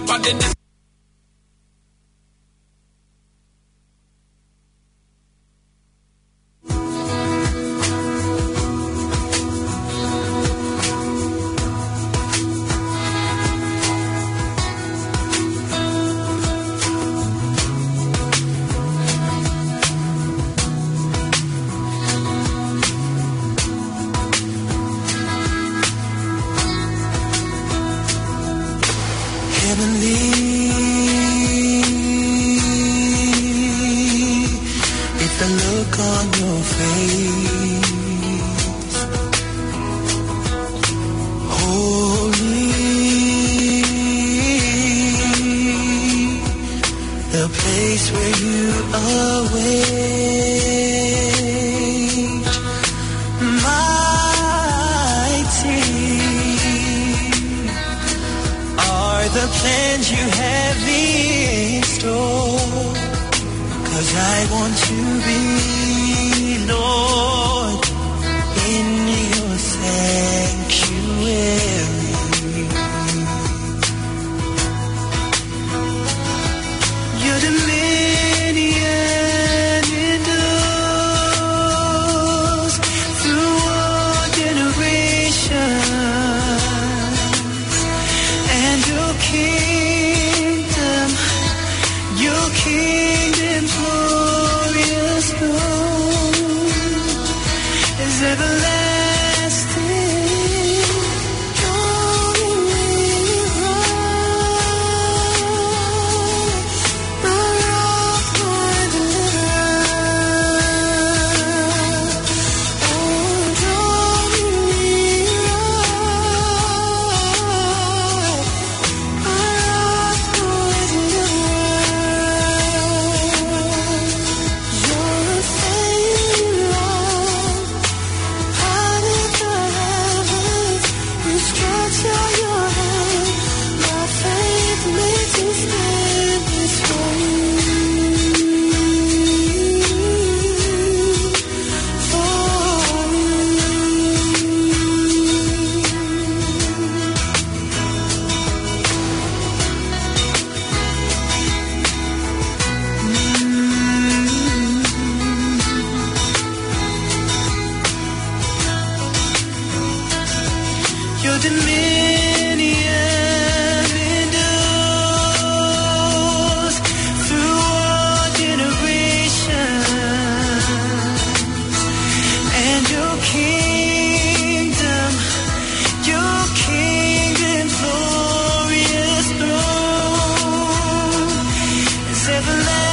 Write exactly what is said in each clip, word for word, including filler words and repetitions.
But in this Heavenly is the look on your face. Holy, the place where you await. Mighty are the plans you have in store. 'Cause I want to be, Lord, in your sanctuary. Your dominion endures through all generations, and your kingdom, your kingdom's glorious throne is everlasting. Your dominion endures through all generations, and your kingdom, your kingdom's glorious throne is everlasting.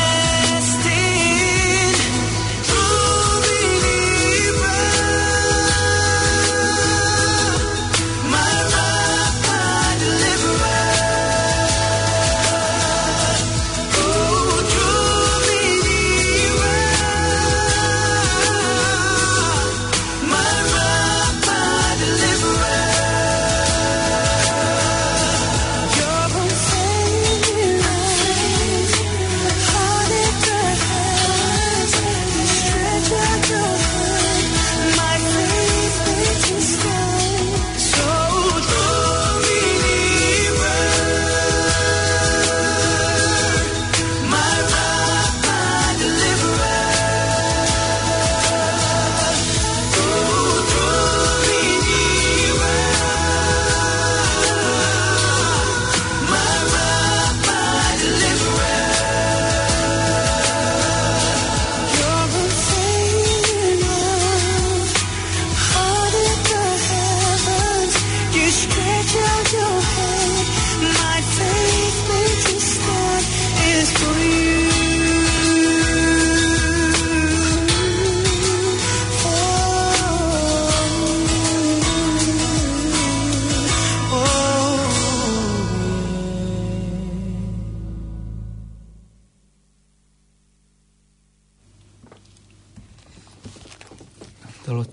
Tolo,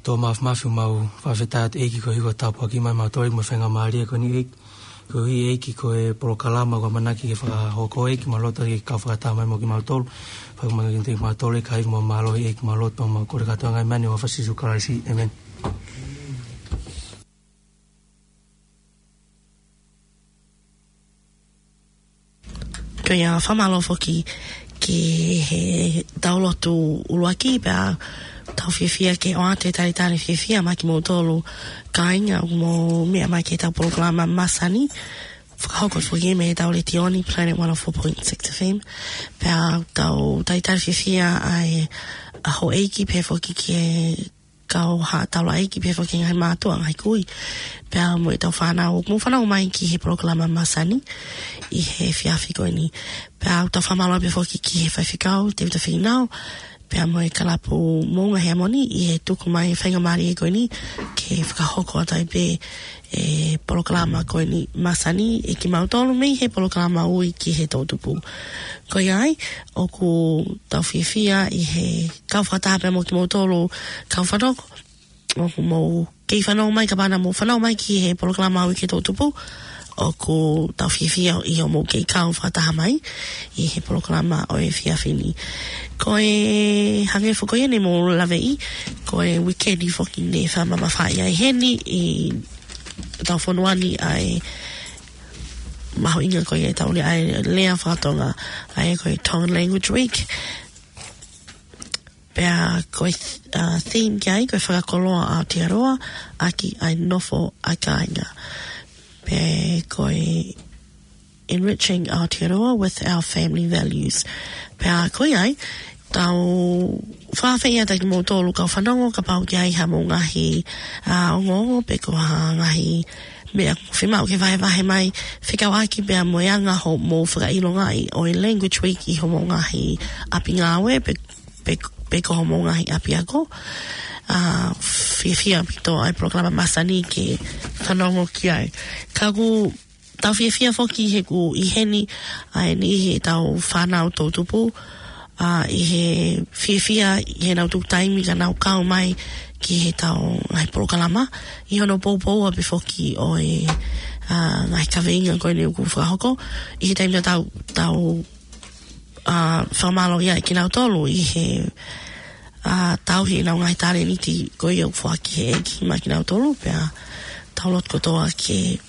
tō mafimafi mau fakafetaʻi atu ʻEiki ko e hiko tāpuaki mai mautolu mo e faingamālie ko eni ʻEiki. Ko e ʻEiki ko e polokalama ʻoku ʻamanaki ke fakahoko ʻEiki, mau loto ke kau fakataha mai mo kimautolu. Fakamālō kiate kimautolu ʻEiki, ʻai mo mālō ʻEiki, mau loto mau kole kātoa ngaahi meʻa ni ʻi he huafa ʻo Sīsū Kalaisi. ʻĒmeni. Pea fakamālō foki ki he tau lotu ʻuluaki, pea tau fiefia ke ʻoatu e talitali fiefia maʻa kimoutolu kāinga, mo meʻa mai ki he tau polokalama masani. Fakahoko foki mei he tau letiō ni, Planet one oh four point six F M. Pea tau talitali fiefia ʻa e, ʻa houʻeiki pea foki ki he kau haʻa taulaʻeiki pea foki ngaahi mātuʻa, ngaahi kui. Pea mo e tau fānau, mou fanongo mai ki he polokalama masani ʻi he efiafi ko eni. Pea tau fakamālō pea foki ki he faifekau, Tevita Fīnau, pea mo e kalapu Moʻunga Heamoni ʻi he tuku mai e faingamālie ko eni ke fakahoko atu ai pē e polokalama ko eni masani ʻe kimautolu mei he polokalama Ui ki he Toʻutupu. Ko ia ai, ʻoku tau fiefia ʻi he kau fakataha pea mo kimoutolu kau fanongo, ʻoku mou kei fanongo mai, kapau naʻa mou fanongo mai ki he polokalama Ui ki he Toʻutupu, ʻoku tau fiefia ʻi hoʻomou kei kau fakataha mai ʻi he polokalama ʻo e efiafi ni. Ko e hangē foki ko ia ne mou laveʻi, ko e uikeʻeni foki ne fakamamafaʻi ai heni ʻi tau fonua ni ʻa e mahuʻinga ko ia ʻetau lea, ʻa e lea faka-Tonga, ʻa ia ko e Tongan Language Week. Pea ko e, uh, theme ki ai, ko e Fakakoloa Aotearoa ʻaki ʻa e nofo ʻa e kāinga. Pea ko e Enriching Aotearoa with our family values. Pea ko ia ai, tau fakaafeʻi atu kimoutolu kau fanongo, kapau ʻoku ʻi ai haʻamou ngaahi, uh, ongoongo, pe ko ha ngaahi meʻa ʻoku fiemaʻu ke vahevahe mai, fekauʻaki pea mo e anga hoʻomou fakaʻilongaʻi ʻo e Language Week ʻi hoʻomou ngaahi ʻapi ngāue, pe pe, pe ko hoʻomou ngaahi ʻapiako. Uh, fiefia ʻaupito ʻa e polokalama masani ke fanongo ki ai. Ka ʻoku tau fiefia foki he ʻoku ʻi heni ʻa e niʻihi ʻetau fānau Toʻutupu, uh, ʻi he fiefia ʻi heʻenau tuku taimi ka nau kau mai ki he tau ngaahi polokalama, ʻi hono poupou pea foki ʻo e, uh, ngaahi kaveinga ko eni ʻoku fakahoko, ʻi he taimi naʻa tau, tau uh, fakamālō ai kinautolu ʻi he, uh, tauhi ʻenau ngaahi talēniti ko ia ʻoku foaki ʻe he ʻEiki maʻa kinautolu, pea tau lotu kotoa ke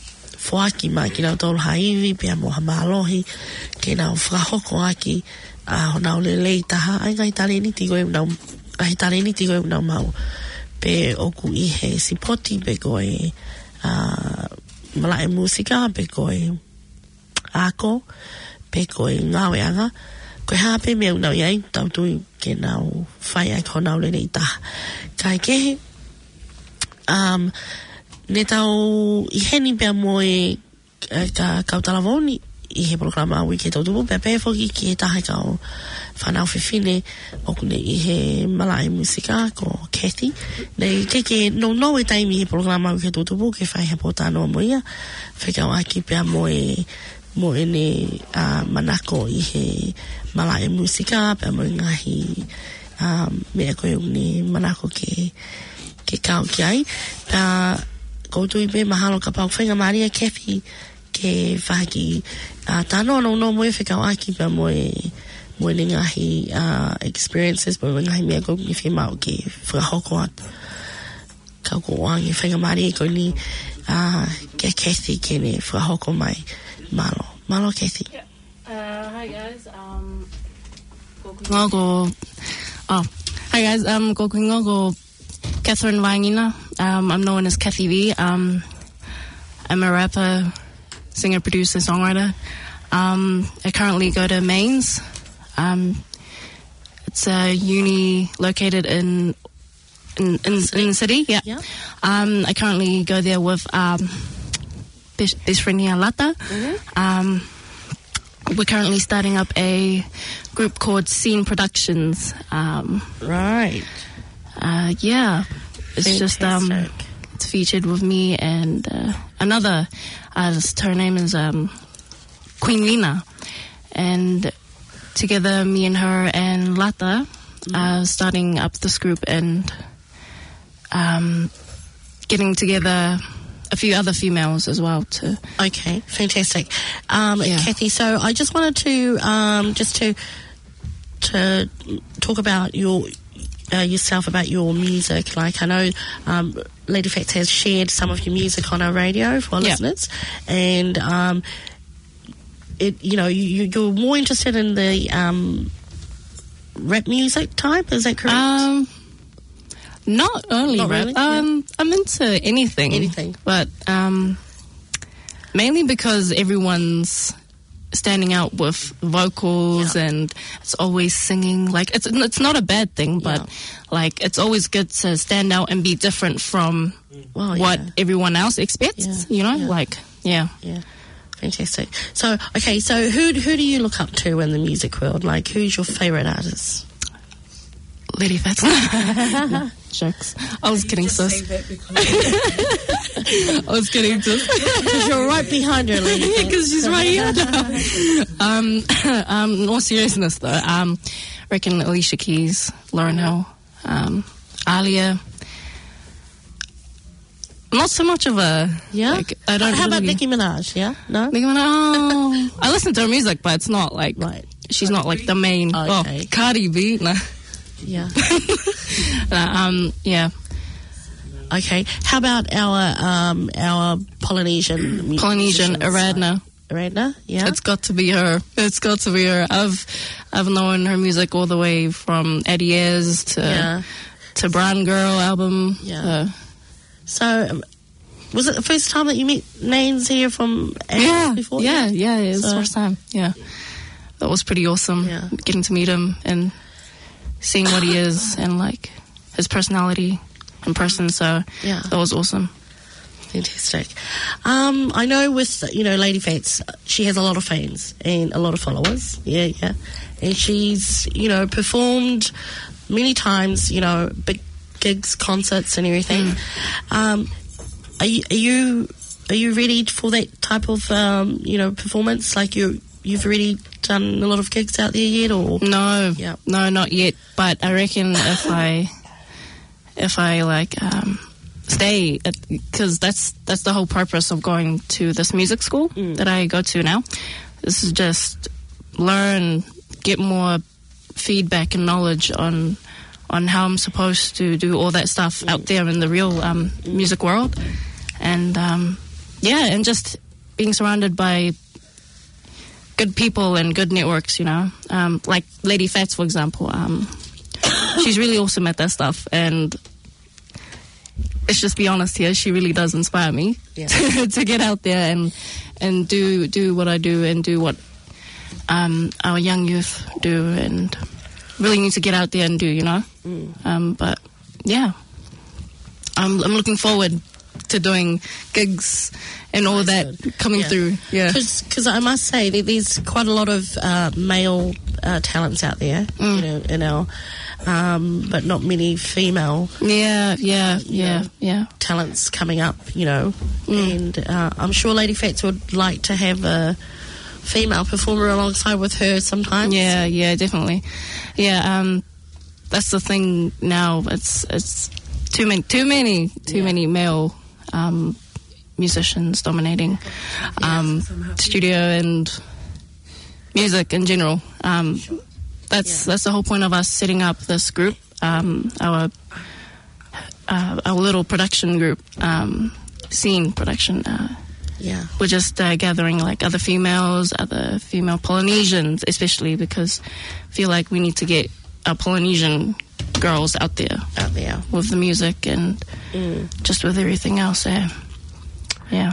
foaki maʻa kinautolu ha ivi pea mo ha mālohi ke nau fakahoko ʻaki, uh, honau lelei taha ʻa e ngaahi talēniti ko ia ʻoku nau, ngaahi talēniti ko ia ʻoku nau maʻu. Pe ʻoku ʻi he sipoti pe ko e, uh, malaʻe mūsika pe ko e ako, pe ko e ngāueʻanga, ko e hā pē meʻa ʻoku nau ʻi ai, tau tui ke nau fai ai honau lelei taha. Kae kehe, um, ne tau ʻi heni pea mo e, e ka-, kau talavou ni ʻi he polokalama Ui ki he Toʻutupu, pea pehē foki ki he taha e kau fānau fefine ʻoku ne ʻi he malaʻe mūsika ko Kathy. Naʻe ʻikai ke nounou e taimi he polokalama Ui ki he Toʻutupu ke fai ha pōtalanoa mo ia, fekauʻaki pea mo e, mo ʻene, uh, manako ʻi he malaʻe mūsika, pea mo e ngaahi, uh, meʻa ko ē ʻoku ne manako ke, ke kau ki ai. Pea ʻoku ou tui pē mahalo kapau ʻoku faingamālie Kathy ke fai ha kiʻi, uh, talanoa nounou mo ia fekauʻaki pea mo e, mo ʻene ngaahi, uh, experiences, mo e ngaahi meʻa ko ē ʻoku ne fiemaʻu ke fakahoko atu. Ka ʻoku ou ʻoange e faingamālie ko eni, uh, kia Kathy ke ne fakahoko mai. Mālō. Mālō, Kathy. Yeah. Uh, hi guys. Um, ko hoku hingoa ko, oh, hi guys. Um, ko hoku hingoa ko Catherine Vaingina. Um, I'm known as Kathy V. Um, I'm a rapper, singer, producer, songwriter. Um, I currently go to Mains. Um, it's a uni located in, in, in, in the city, yeah. Yeah. Um, I currently go there with, um, best, best friend here, Lata. Mm-hmm. Um, we're currently starting up a group called Scene Productions. Um, Right. Uh, yeah. It's just, um, Fantastic. It's featured with me and, uh, another artist. Her name is, um, Queen Lina. And together, me and her and Lata Mm. are starting up this group and, um, getting together a few other females as well to Okay, fantastic. Um, Yeah. Kathy, so I just wanted to, um, just to, to talk about your, uh, yourself, about your music. Like, I know, um, Lady Fats has shared some of your music on our radio for our Yeah. listeners, and, um, it, you know, you, you- you're more interested in the um, rap music type. Is that correct? Um, not only Not rap. Really? Yeah. Um, I'm into anything. Anything. But um, mainly because everyone's standing out with vocals Yeah. and it's always singing. Like it's it's not a bad thing, but Yeah. like it's always good to stand out and be different from Well, what yeah. everyone else expects. Yeah, You know, yeah. like yeah. Yeah, fantastic. So, okay, so who who do you look up to in the music world? Like, who's your favorite artist? Lady Fats. Jokes. I was kidding, Just sis. say that because I was kidding, sis. Because you're right behind her, Lady. Because she's right here. um, um, in all seriousness, though, um, I reckon Alicia Keys, Lauryn Hill, um, Aaliyah. Not so much of a Yeah. Like, I don't. How about Really, Nicki Minaj? Yeah, no. Nicki Minaj. Oh, I listen to her music, but it's not like Right. she's not like the main. Okay. Oh, Cardi B. No. Yeah. No, um. Yeah. Okay. How about our um our Polynesian mu- Polynesian musicians? Aradna. Aradna. Yeah. It's got to be her. It's got to be her. I've I've known her music all the way from Eddie Ayres to Yeah. to Brown Girl album. Yeah. Uh, So, um, was it the first time that you met Nains here from Aradna yeah, before? yeah, yeah. It's So- the first time. Yeah, that was pretty awesome. Yeah. Getting to meet him and seeing what he is and like his personality in person. So Yeah. that was awesome. Fantastic. Um, I know with you know Lady Fats, she has a lot of fans and a lot of followers. Yeah, yeah. And she's you know performed many times. You know, big gigs, concerts, and everything. Um, are you are you are you ready for that type of um, you know performance? Like you you've already done a lot of gigs out there yet, or No, Yeah. no, not yet. But I reckon if I, if I like um, stay, because that's that's the whole purpose of going to this music school that I go to now. This is just learn, get more feedback and knowledge on on how I'm supposed to do all that stuff out there in the real um, music world, and um, yeah, and just being surrounded by good people and good networks, you know, um, like Lady Fats, for example. Um, she's really awesome at that stuff, and let's just be honest here, she really does inspire me Yeah. to get out there and and do do what I do and do what um, our young youth do, and really need to get out there and do, you know. Um, but yeah, I'm I'm looking forward to doing gigs and all that coming Yeah. through. Yeah. Because I must say that there's quite a lot of uh, male uh, talents out there, you know, in our, um, but not many female Yeah, yeah, yeah, yeah. talents coming up, you know. And uh, I'm sure Lady Fats would like to have a female performer alongside with her sometimes. Yeah, yeah, definitely. Yeah, um, that's the thing now. It's it's too many, too many, too many male um, musicians dominating um, studio and music in general. Um, that's that's the whole point of us setting up this group, um, our uh, our little production group, um, Scene Production. Uh, Yeah. we're just uh, gathering like other females, other female Polynesians, especially because I feel like we need to get our Polynesian girls out there Out there. with the music and just with everything else. Yeah, yeah.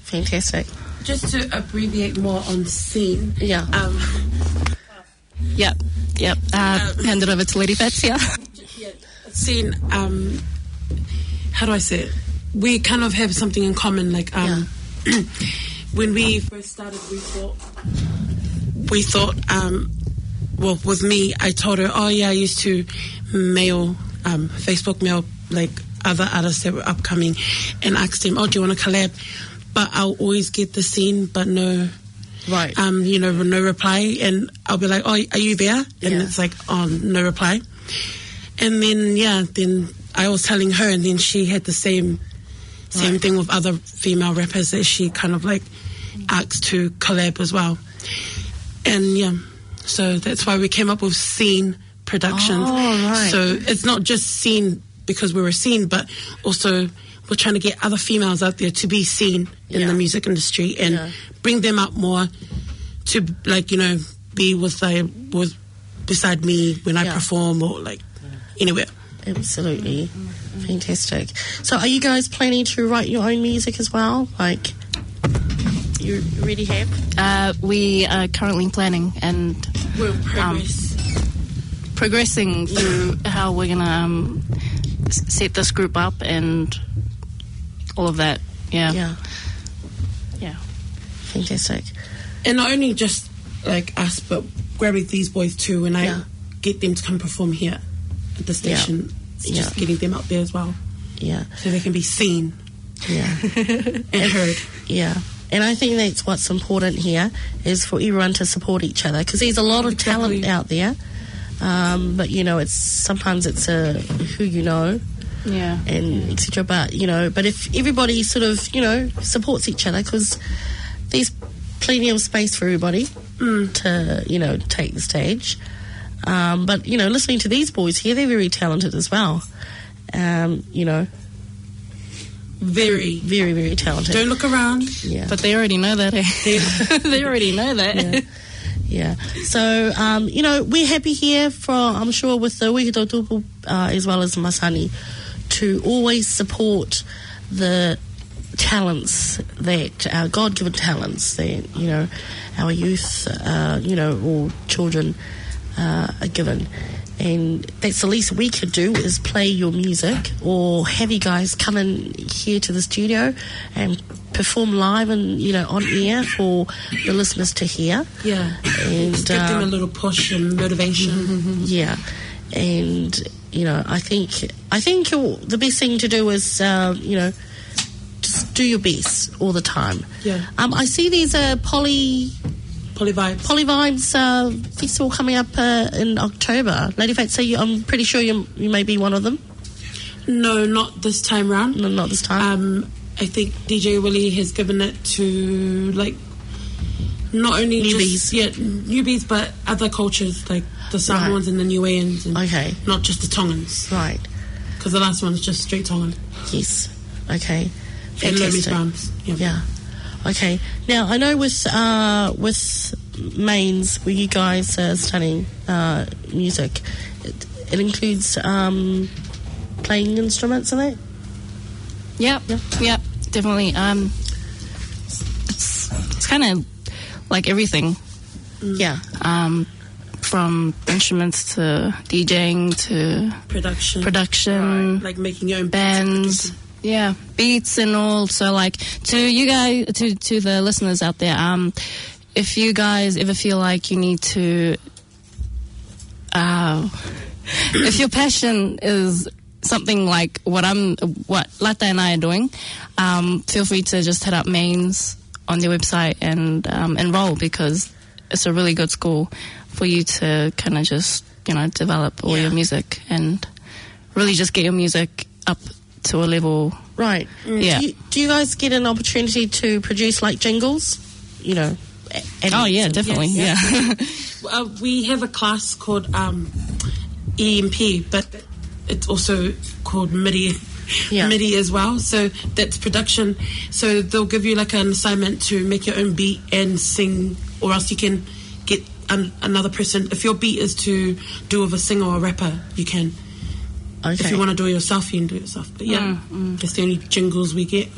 Fantastic. Just to abbreviate more on Scene. Yeah. Um, Yep, yep. Uh, hand it over to Lady Fats. Yeah. Scene. Um, how do I say it? We kind of have something in common. Like um, when we first started, we thought we thought um, well, with me, I told her, oh yeah, I used to mail um, Facebook mail like other artists that were upcoming, and asked them, oh, do you want to collab? But I'll always get the Scene, but no Right. um, you know, no reply, and I'll be like, oh, are you there? And Yeah. It's like, oh, no reply. And then yeah, then I was telling her, and then she had the same same Right. thing with other female rappers that she kind of like asked to collab as well. And yeah, so that's why we came up with Scene Production. Oh, right. So it's not just Scene because we're a scene, but also we're trying to get other females out there to be seen in Yeah. the music industry and Yeah. bring them up more to, like, you know, be with, like, with beside me when I Yeah. perform or, like, anywhere. Absolutely. Fantastic. So are you guys planning to write your own music as well? Like, you already have? Uh, we are currently planning and We'll um, progress. progressing through how we're gonna um, s- set this group up and all of that. Yeah. Yeah. Yeah. Fantastic. And not only just, like, us, but grabbing these boys too, and I Yeah. get them to come perform here at the Yeah. station. It's just Yeah. getting them out there as well, Yeah. so they can be seen Yeah. and heard. Yeah. And I think that's what's important here is for everyone to support each other because there's a lot of talent Exactly. out there. Um, but you know, it's sometimes it's a who you know Yeah. and et cetera. But you know, but if everybody sort of you know supports each other because there's plenty of space for everybody to you know take the stage. Um, but you know, listening to these boys here, they're very talented as well. Um, you know, Very. very very talented. Don't look around. Yeah. But they already know that. Eh? They already know that. Yeah. Yeah. So, um, you know, we're happy here for, I'm sure, with the Wiki Tautupu, uh, as well as Masani, to always support the talents that, our God given talents that, you know, our youth, uh, you know, or children uh, are given. And that's the least we could do is play your music or have you guys come in here to the studio and perform live and you know on air for the listeners to hear. Yeah. And Just give them a um, little push and motivation. Yeah, and you know I think I think the best thing to do is uh, you know just do your best all the time. Yeah. Um, I see there's a poly Poly Vibes. Poly Vibes uh, festival coming up uh, in October. Lady Fates, so you, I'm pretty sure you you may be one of them. No, not this time round. No, not this time. Um, I think D J Willie has given it to like not only Newbies. Just, yeah, newbies, but other cultures like the Right. Samoans and the Niueans, and Okay. Not just the Tongans. Right. Because the last one's just straight Tongan. Yes. Okay. And Lomi's Fantastic. Bums. Yeah. Yeah. Okay. Now I know with uh, with Mains, where you guys are studying uh, music, it, it includes um, playing instruments in that. Yep, yep, definitely. Um, it's it's kind of like everything. Yeah. Um, from instruments to DJing to Production. Production, Right, like making your own bands, beats. Yeah, beats and all. So, like, to you guys, to to the listeners out there, um, if you guys ever feel like you need to, uh, if your passion is something like what I'm, what Lata and I are doing, um, feel free to just hit up Mains on their website and um, enroll because it's a really good school for you to kind of just you know develop all Yeah. Your music and really just get your music up to a level. Right. Yeah. Do you, do you guys get an opportunity to produce like jingles? You know. Oh yeah, definitely. Yes. Yeah. Uh, we have a class called um, E M P, but it's also called MIDI, Yeah. MIDI as well. So that's production. So they'll give you like an assignment to make your own beat and sing, or else you can get an, another person. If your beat is to do with a singer or a rapper, you can. Okay. If you want to do it yourself, you can do it yourself. But yeah, that's the only jingles we get.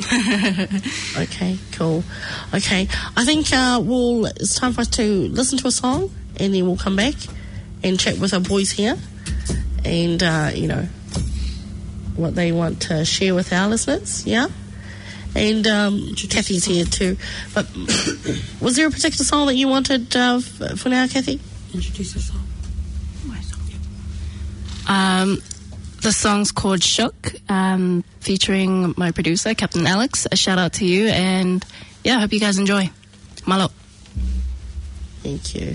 Okay, cool. Okay, I think uh, we'll, it's time for us to listen to a song, and then we'll come back and chat with our boys here, and uh, you know what they want to share with our listeners. Yeah, and um, Kathy's here too. But was there a particular song that you wanted uh, f- for now, Kathy? Introduce yourself. Um, the song's called Shook, um, featuring my producer, Captain Alex. A shout out to you, and yeah, I hope you guys enjoy. Malo. Thank you.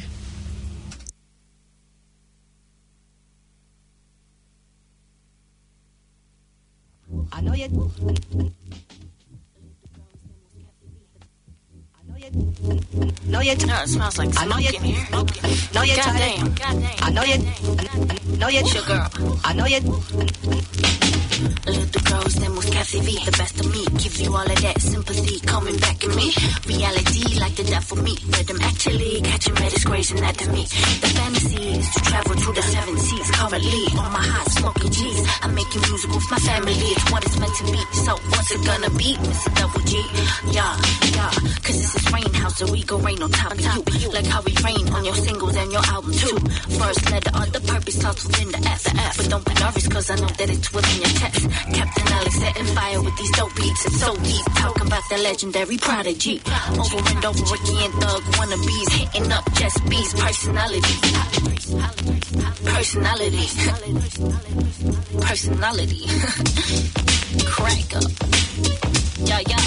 No, it smells like smoke in here. No, it Goddamn. I know it. No, it your girl. I know it. Let the girls, them was Kathy V. The best of me, give you all of that sympathy coming back at me. Reality, like the death for me. But I'm actually catching my disgrace and that to me. The fantasy is to travel to the seven seas. Currently on my high, smoking G's. I'm making music with my family. It's what it's meant to be. So what's it gonna be? Mister Double G. Yeah, yeah. Cause this is Rain House, so we go rain on top of you. Like how we rain on your singles and your album too. First letter of the purpose starts within the F. But don't be nervous, cause I know that it's within your chest. Captain Alex setting fire with these dope beats. It's so deep. Talk about the legendary Prodigy. Over and over again, thug wannabes. Hitting up just bees. Personality. Personality. Personality. Crack up. Yeah, yeah.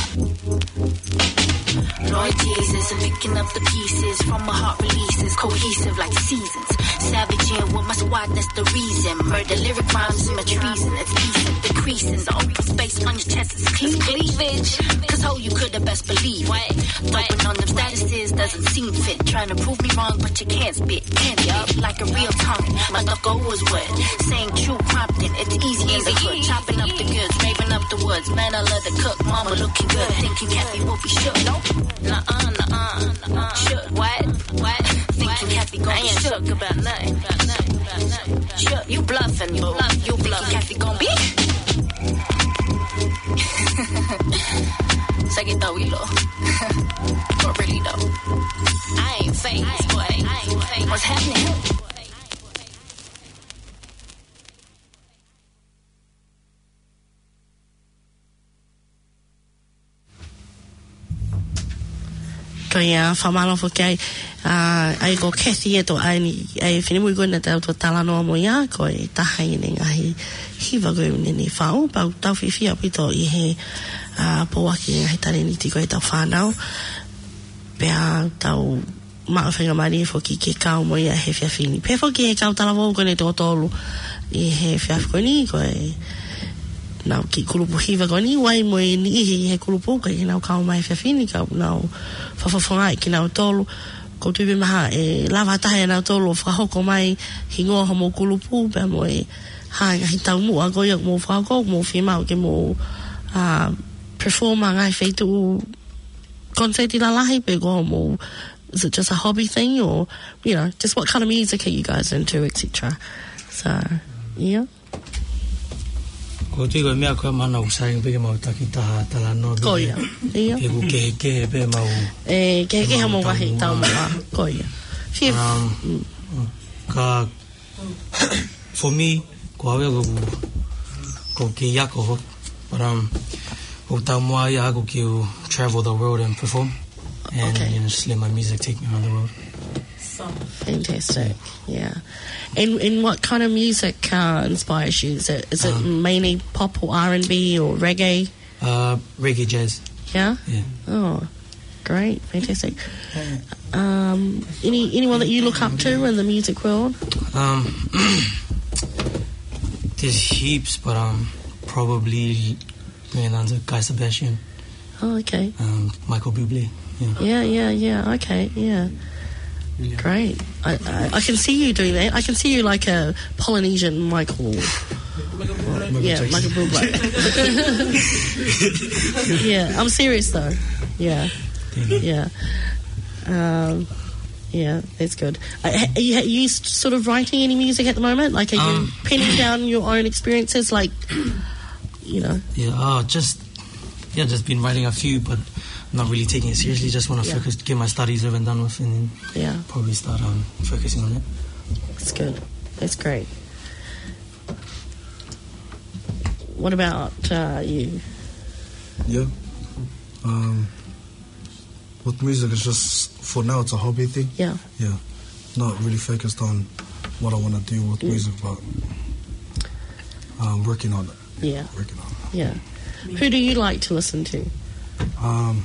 Lord Jesus, I'm picking up the pieces from my heart releases, cohesive like seasons. Savage in with my squad, that's the reason. Murder lyric rhymes in my treason, it's decent. The creasing, the open space on your chest is clean cleavage. Cause ho, you could have best believe it. What? What? Open on them statuses doesn't seem fit. Trying to prove me wrong, but you can't spit. Can't spit like a real tongue. My thought was what? Saying true prompting, it's easy as a hood. Chopping up the goods, raving up the woods. Man, I love the cook, mama looking good. Thinking Kathy will be shook. Nope. Nuh-uh, nuh-uh, nuh-uh. Shook. What? What? Thinking Kathy gonna be shook about nothing. Shook. You bluffing, boo. You thinking Kathy gonna be? Second thought, we low. But really though, I ain't fake, boy. What's happening? Ko ia, fakamālō foki ai, ā, ʻa ia ko Kathy ē, tō ʻai ni, ʻa e finemui ko ena tau to talanoa mo ia, ko e taha ʻene ngaahi hiva ko ē naʻe fai, pau tau fiefia ʻaupito ʻi he, ā, pauaki ngaahi talēniti ko ē ʻetau fānau. Pea tau maʻu faingamālie foki ke kau mo ia he efiafi ni. Pea foki he kau talavou ko eni ʻe toko tolu ʻi he efiafi ko eni, ko ʻenau kiʻi kulupu hiva ko eni, ʻoku ʻi ai mo e niʻihi ʻi he kulupu ko ē ʻoku nau kau mai he efiafi ni, ka nau fakafofongaʻi kinautolu. Ko u tui pē mahalo ʻe lava ha taha ʻia nautolu ʻo fakahoko mai hingoa homou kulupu, pea mo e hā e ngaahi taumuʻa ko ia ʻoku mou fakahoko, ʻoku mou fiemaʻu ke mou, ā, perform ʻi ha ngaahi feituʻu koniseiti lalahi pe ko hoʻomou, is it just a hobby thing or, you know, just what kind of music are you guys into, et cetera. So, yeah. Ko u tui ko e meʻa ko ē mahalo ʻoku sai pē ke mau taki taha talanoa pē. Ko ia. Ia. He ʻoku kehekehe pē mau. ʻE, kehekehe mau ngaahi taumuʻa. Ko ia. Fif-, um, mm. Ka For me, ko au ia ko, ko e kiʻi ako, but, um, ko e taumuʻa ia ʻaʻaku ke u travel the world and perform, and, okay, you know, just let my music take me around the world. Fantastic. Yeah. And, and what kind of music, uh, inspires you? Is it, is it, um, mainly pop or R and B or reggae? Uh, reggae jazz. Yeah? Yeah. Oh, great. Fantastic. Um, any, anyone that you look up to in the music world? Um, there's heaps, but, um, probably, you know, the Guy Sebastian. Oh, okay. Um, Michael Bublé. Yeah. Yeah, yeah, yeah. Okay, yeah. Yeah. Great. I, I, I can see you doing that. I can see you like a Polynesian Michael. Michael Bublé. Yeah, Michael Bublé. Yeah, I'm serious though. Yeah. Yeah. Um, yeah, that's good. Uh, ha-, are you, are you s-, sort of writing any music at the moment? Like, are you, um, penning down your own experiences? Like, you know? Yeah, uh, just Yeah, just been writing a few, but not really taking it seriously. Just wanna, yeah, focus, get my studies over and done with, and then, yeah, probably start, um, focusing on it. That's good. That's great. What about, uh, you? Yeah. Um, with music, it's just, for now, it's a hobby thing. Yeah. Yeah. Not really focused on what I wanna do with, mm, music, but, um, working on it. Yeah. Working on it. Yeah. Who do you like to listen to? Um,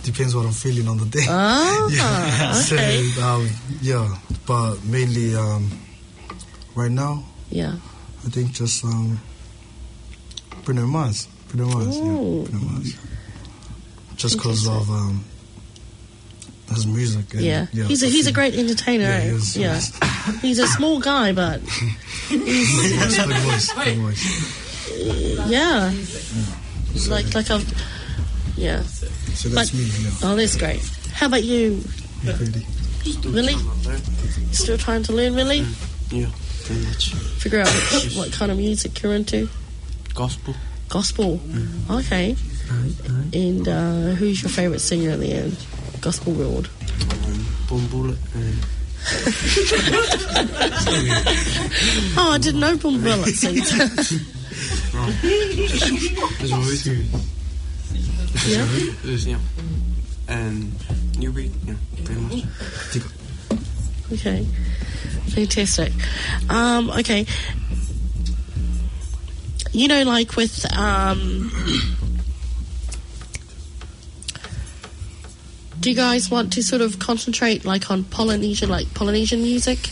depends what I'm feeling on the day. Ah, yeah. Okay. So, um, yeah, but mainly, um, right now, yeah, I think just, um, Bruno Mars. Pretty much, yeah, ooh, pretty much. Just 'cause of, um, his music. And, yeah, yeah, he's a, I he's a think great entertainer. Yeah, he is, he is. He's a small guy, but he's, he has the voice, the voice. Yeah. He's like, like a, yeah. So that's me, yeah. Oh, that's great. How about you, Willie? Still trying to learn, Willie? Yeah, pretty much. Figure out what, what kind of music you're into. Gospel. Gospel. Okay. And, uh, who's your favorite singer in the, uh, gospel world? Um, Boom Bullet and Oh, I didn't know Boom Bullet sings. Wrong. There's always two. Yeah? There's, yeah. And New Breed, yeah, pretty much. Okay. Fantastic. Um, okay. You know, like, with, um, do you guys want to sort of concentrate, like, on Polynesian, like, Polynesian music?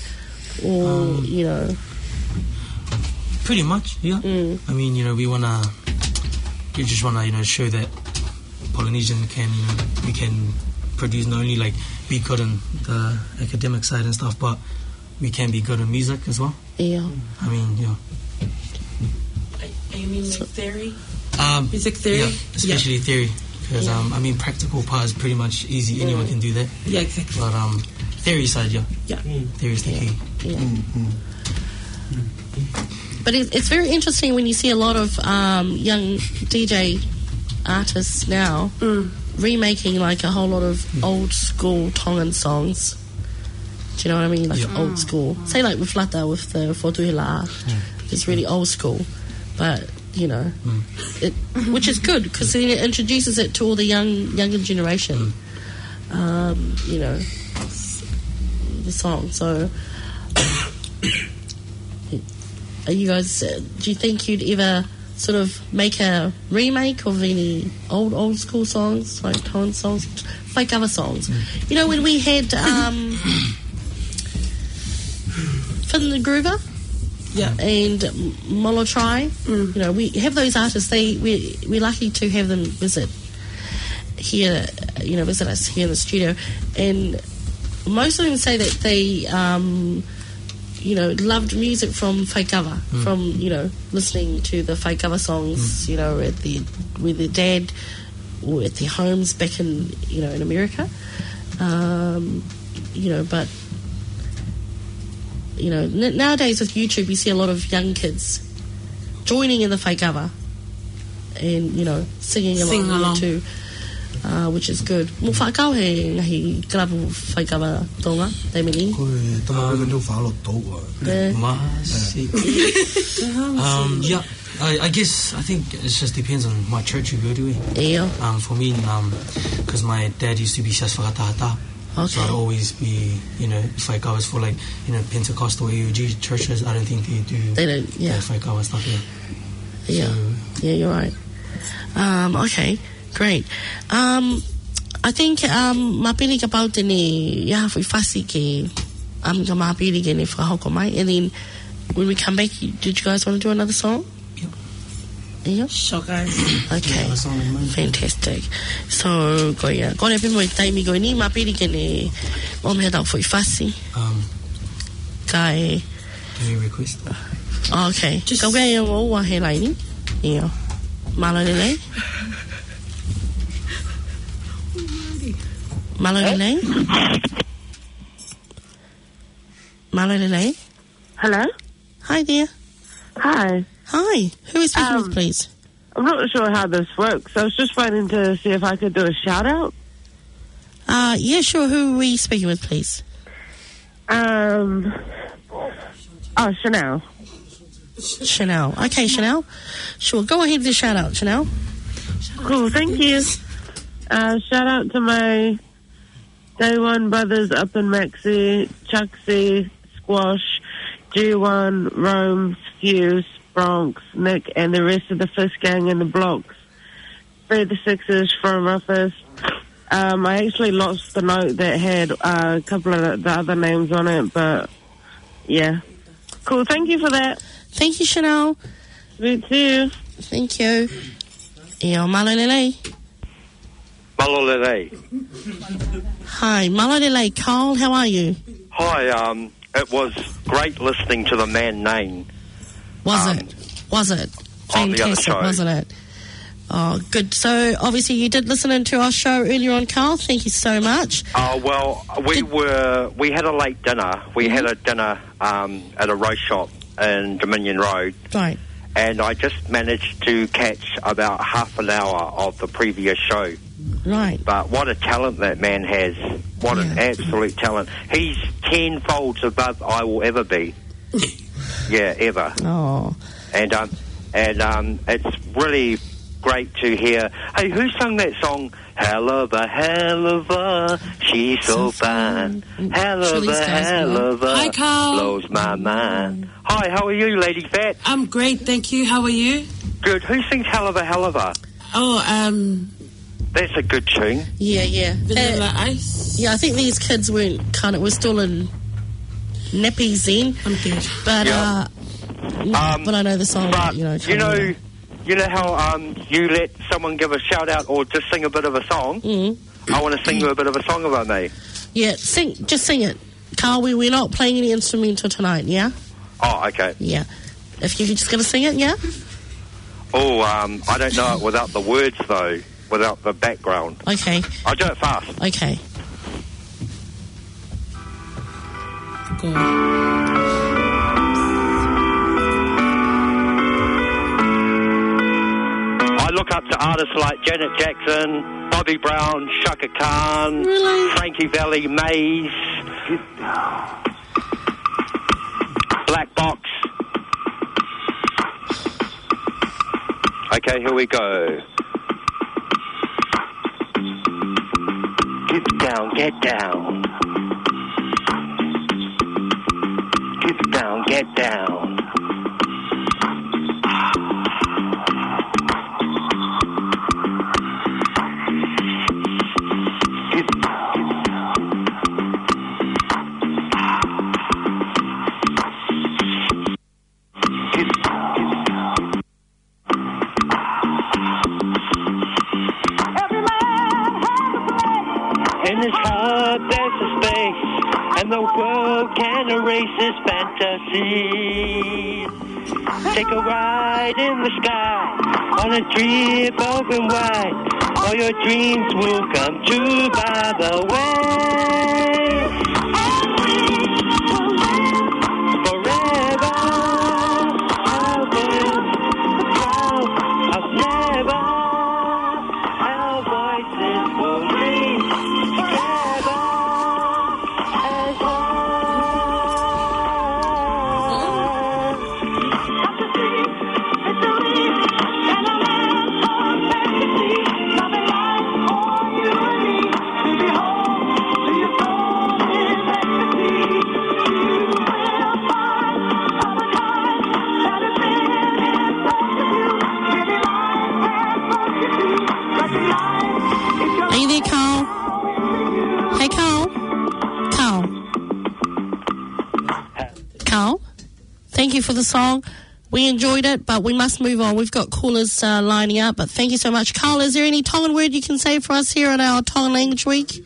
Or, um, you know? Pretty much, yeah. Mm. I mean, you know, we wanna, we just wanna, you know, show that Polynesian can, you know, we can produce, not only, like, be good on the academic side and stuff, but we can be good on music as well. Yeah. I mean, yeah. Are, are you mean, like, theory? Um, music theory? Yeah, especially theory. 'Cause, yeah, um, I mean, practical part is pretty much easy. Anyone can do that. Yeah, exactly. But, um, theory side, yeah. Yeah. Theory is the key. Yeah. But it, it's very interesting when you see a lot of, um, young D J artists now remaking, like, a whole lot of old school Tongan songs. Do you know what I mean? Like, old school. Say, like, with Lata, with the Fotu Hila. It's really old school. But, you know, it, which is good, 'cause then it introduces it to all the young, younger generation. Um, you know, the song. So, are you guys, uh, do you think you'd ever sort of make a remake of any old, old school songs, like Tongan songs, faikava songs? You know, when we had, um, Finn the Groover, yeah, and M-, Molo Try, you know, we have those artists. They, we, we're lucky to have them visit here, you know, visit us here in the studio. And most of them say that they, um, you know, loved music from faikava, from, you know, listening to the faikava songs, you know, at the, with their dad or at their homes back in, you know, in America. Um, you know, but, you know, n-, nowadays with YouTube, you see a lot of young kids joining in the faikava and, you know, singing along too, uh, which is good. Mo fakau he ngaahi kalapu faikava Tonga, taimi ni. Ko e tama ko e nau falo tau. Eh. Masi. Um, yeah, I, I guess, I think it just depends on what church you go to, eh? Yeah. Um, for me, um, 'cause my dad used to be Siasi Fakatahataha. So I'd always be, you know, if I was for, like, you know, Pentecostal A O G churches, I don't think they do, they don't, yeah, the faikava stuff here. Yeah. So, yeah, you're right. Um, okay, great. Um, I think, um, mapili kapau te ne, yeah, if we fussy ke, um, ka mapili ke ne fakahoko mai. And then when we come back, you, did you guys wanna do another song? Yep. Yep. Sure, guys. Okay. Yeah, that's all in mind. Fantastic. So, ko ia. Ko e pē mo e taimi ko eni, mapili ke ne ʻomai ha tau foʻi fasi. Um, kae. Can you request? Okay. Just ka ʻoku ʻi ai ʻoua he laini. Ia. Mālō e lelei. Mālō e lelei. Mālō e lelei. Hello? Hi there. Hi. Hi. Who is speaking with, um, please? I'm not sure how this works. I was just phoning to see if I could do a shout out. Uh, yeah, sure. Who are we speaking with, please? Um, oh, Chanel. Chanel. Okay, Chanel. Sure. Go ahead with your shout out, Chanel. Cool. Thank you. Uh, shout out to my Day One brothers up in Maxi, Chucksy, Squash, G One, Rome, Fuse, Bronx, Nick, and the rest of the Fist Gang in the blocks. Free the Sixes from Ruffus. Um, I actually lost the note that had, uh, a couple of the other names on it, but yeah. Cool, thank you for that. Thank you, Chanel. You too. Thank you. Ia, mālō e lelei. Mālō e lelei. Hi, mālō e lelei. Carl, how are you? Hi, um, it was great listening to the man Nain. Was Um, it? Was it? On the other Fantastic, show. Wasn't it? Oh, good. So, obviously, you did listen in to our show earlier on, Carl. Thank you so much. Uh, well, we Did were, we had a late dinner. We had Mm-hmm. a dinner, um, at a roast shop in Dominion Road. Right. And I just managed to catch about half an hour of the previous show. Right. But what a talent that man has. What an Yeah. absolute talent. He's ten folds above I will ever be. Yeah, ever. Oh. And, um, and, um, it's really great to hear. Hey, who sung that song? Hell of a, hell of a, she's so So fine. fine. Mm, Hell of Chilli's a, guys, hell man. of a, Hi, Carl. blows my mind. Hi, how are you, Lady Fat? I'm great, thank you. How are you? Good. Who sings Hell of a, hell of a? Oh, um, That's a good tune. Yeah, yeah. Vanilla Uh, Ice. yeah, I think these kids weren't kind of, we're still in nappies then. I'm good. But, Yeah. uh, yeah, Um, but I know the song, but you know, you kind of know, you know how, um, you let someone give a shout out or just sing a bit of a song? Mm. I wanna sing you a bit of a song if I may. Yeah, sing, just sing it. Carl, we, we're not playing any instrumental tonight, yeah? Oh, okay. Yeah. If you're just gonna sing it, yeah? Oh, um, I don't know it without the words, though, without the background. Okay. I'll do it fast. Okay. Go on. I look up to artists like Janet Jackson, Bobby Brown, Chaka Khan, Really? Frankie Valli, Maze, Black Box. Okay, here we go. Get down, get down. Get down, get down. Get down. In his heart there's a space, and the world can erase his fantasy. Take a ride in the sky on a trip open wide. All your dreams will come true by the way. Forever, our world, the clouds of never. Our voices will ring forever and on. Are you there, Carl? Hey, Carl? Carl? Carl? Thank you for the song. We enjoyed it, but we must move on. We've got callers, uh, lining up, but thank you so much. Carl, is there any Tongan word you can say for us here on our Tongan Language Week?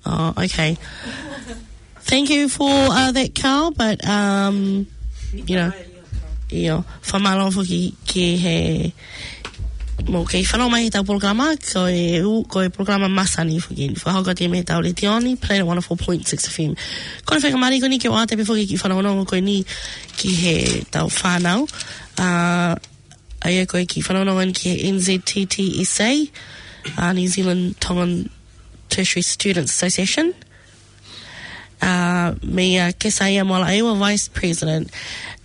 Oh, okay. Thank you for, uh, that, Carl, but, um, you know, ʻio, fakamālō foki ki he, mou kei fanongo mai heʻetau polokalama, ko e ʻū, ko e polokalama masani foki, fakahoko atu mei heʻetau letiō ni, Planet one oh four point six F M. Ko e faingamālie ko eni ke ʻoatu pē foki e kiʻi fanongonongo ko eni ki heʻetau fānau. Uh, ʻA ia ko e kiʻi fanongonongo eni ki he N Z T T S A, uh, New Zealand Tongan Tertiary Students Association. Uh, meia Kesaia Moalaʻeua, Vice President.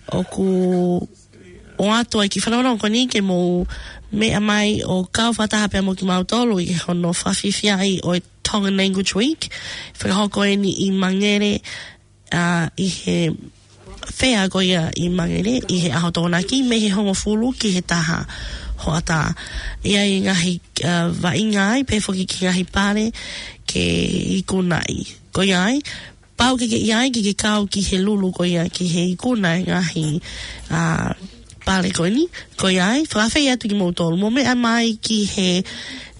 ʻOku ʻoatu ai e kiʻi fanongonongo ko eni ke mou meʻa mai ʻo kau fakataha pea mo kimautolu ʻi hono fakafiefiaʻi ʻo e Tongan Language Week. Fakahoko eni ʻi Mangere, uh, ʻi he fair ko ia ʻi Mangere, ʻi he ʻaho Tokonaki, mei he hongofulu ki he taha hoʻatā. ʻI ai e ngaahi, uh, vaʻinga ai, pehē foki ki he ngaahi pale ke ikunaʻi. Ko ia ai, pau ke ke ʻi ai, ke ke kau ki he lulu ko ia, ki he ikuna e ngaahi, uh, pale ko eni. Ko ia ai, fakaafeʻi atu kimoutolu, mou meʻa mai ki he,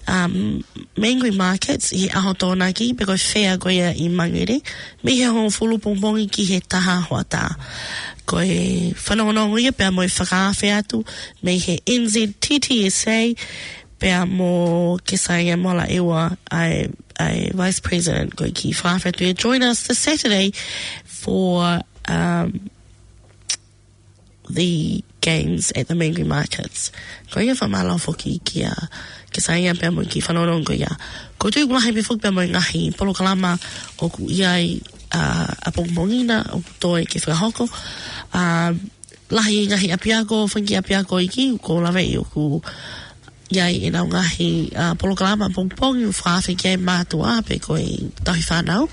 um, Mangere Markets ʻi he ʻaho Tokonaki, pe ko e fea ko ia ʻi Mangere, mei he hongofulu pongipongi ki he taha hoʻatā. Ko e fanongonongo ia pea mo e fakaafe atu mei he N Z T T S A, pea mo Kesaia Molaʻeua, ʻa e, ʻa e Vice President, ko e kiʻi fakaafe atu ia, join us this Saturday for, um, the games at the Mangere Markets. Ko ia fakamālō foki kia Kesaia pea mo e kiʻi fanongonongo ko ia. Ko e tuʻu lahi pē foki pea mo e ngaahi polokalama ʻoku ʻi ai, ʻa, ʻapongipongi na ʻoku toe ke fakahoko. ʻA, lahi ngaahi ʻapiako, fanga kiʻi ʻapiako iiki, ʻoku ou laveʻi ʻoku ʻi ai ʻenau ngaahi, ʻa, polokalama ʻapongipongi ʻoku fakaafe ki ai mātuʻa pe ko e tauhi fānau,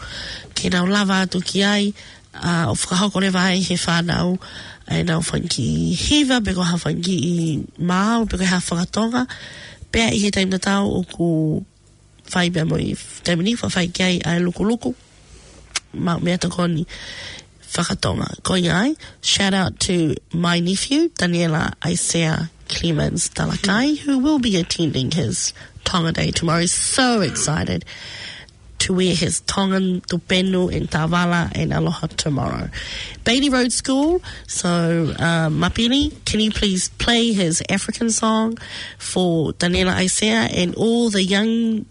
ke nau lava atu ki ai, ʻa, ʻo fakahoko leva ai he fānau ʻenau fanga kiʻi hiva, pe ko ha fanga kiʻi maau, pe ko ha fakatonga. Pea ʻi he taimi tatau ʻoku fai pea mo e taimi ni, faʻa fai ki ai ʻa e lukuluku, maʻu meʻatokoni fakatonga. Ko ia ai, shout out to my nephew, Taniela Aisea Clemens Talakai, who will be attending his Tonga Day tomorrow. So excited to wear his Tongan tupenu and tavala and aloha tomorrow. Bailey Road School, so, uh, Mapili, can you please play his African song for Taniela Aisea and all the young,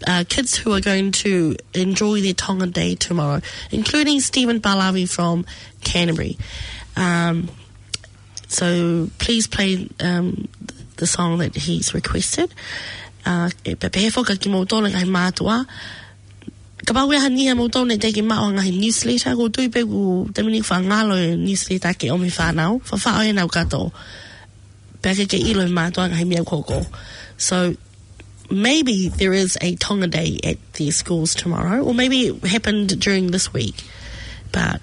uh, kids who are going to enjoy their Tongan Day tomorrow, including Stephen Balavi from Canterbury. Um, so please play, um, the song that he's requested. Uh, e pehē foki kia kimoutolu ngaahi mātuʻa. Kapau ʻoku ʻi ai ha niʻihi ʻiate kimoutolu naʻe teʻeki ke maʻu ha ngaahi newsletter, ʻoku ou tui pē ʻoku taimi ni faʻa ngalo e newsletter ke ʻomi fānau, faʻa faʻo ʻenau kato. Pea ke ke ʻilo e mātuʻa ngaahi meʻa ʻoku hoko. So maybe there is a Tonga Day at their schools tomorrow, or maybe it happened during this week, but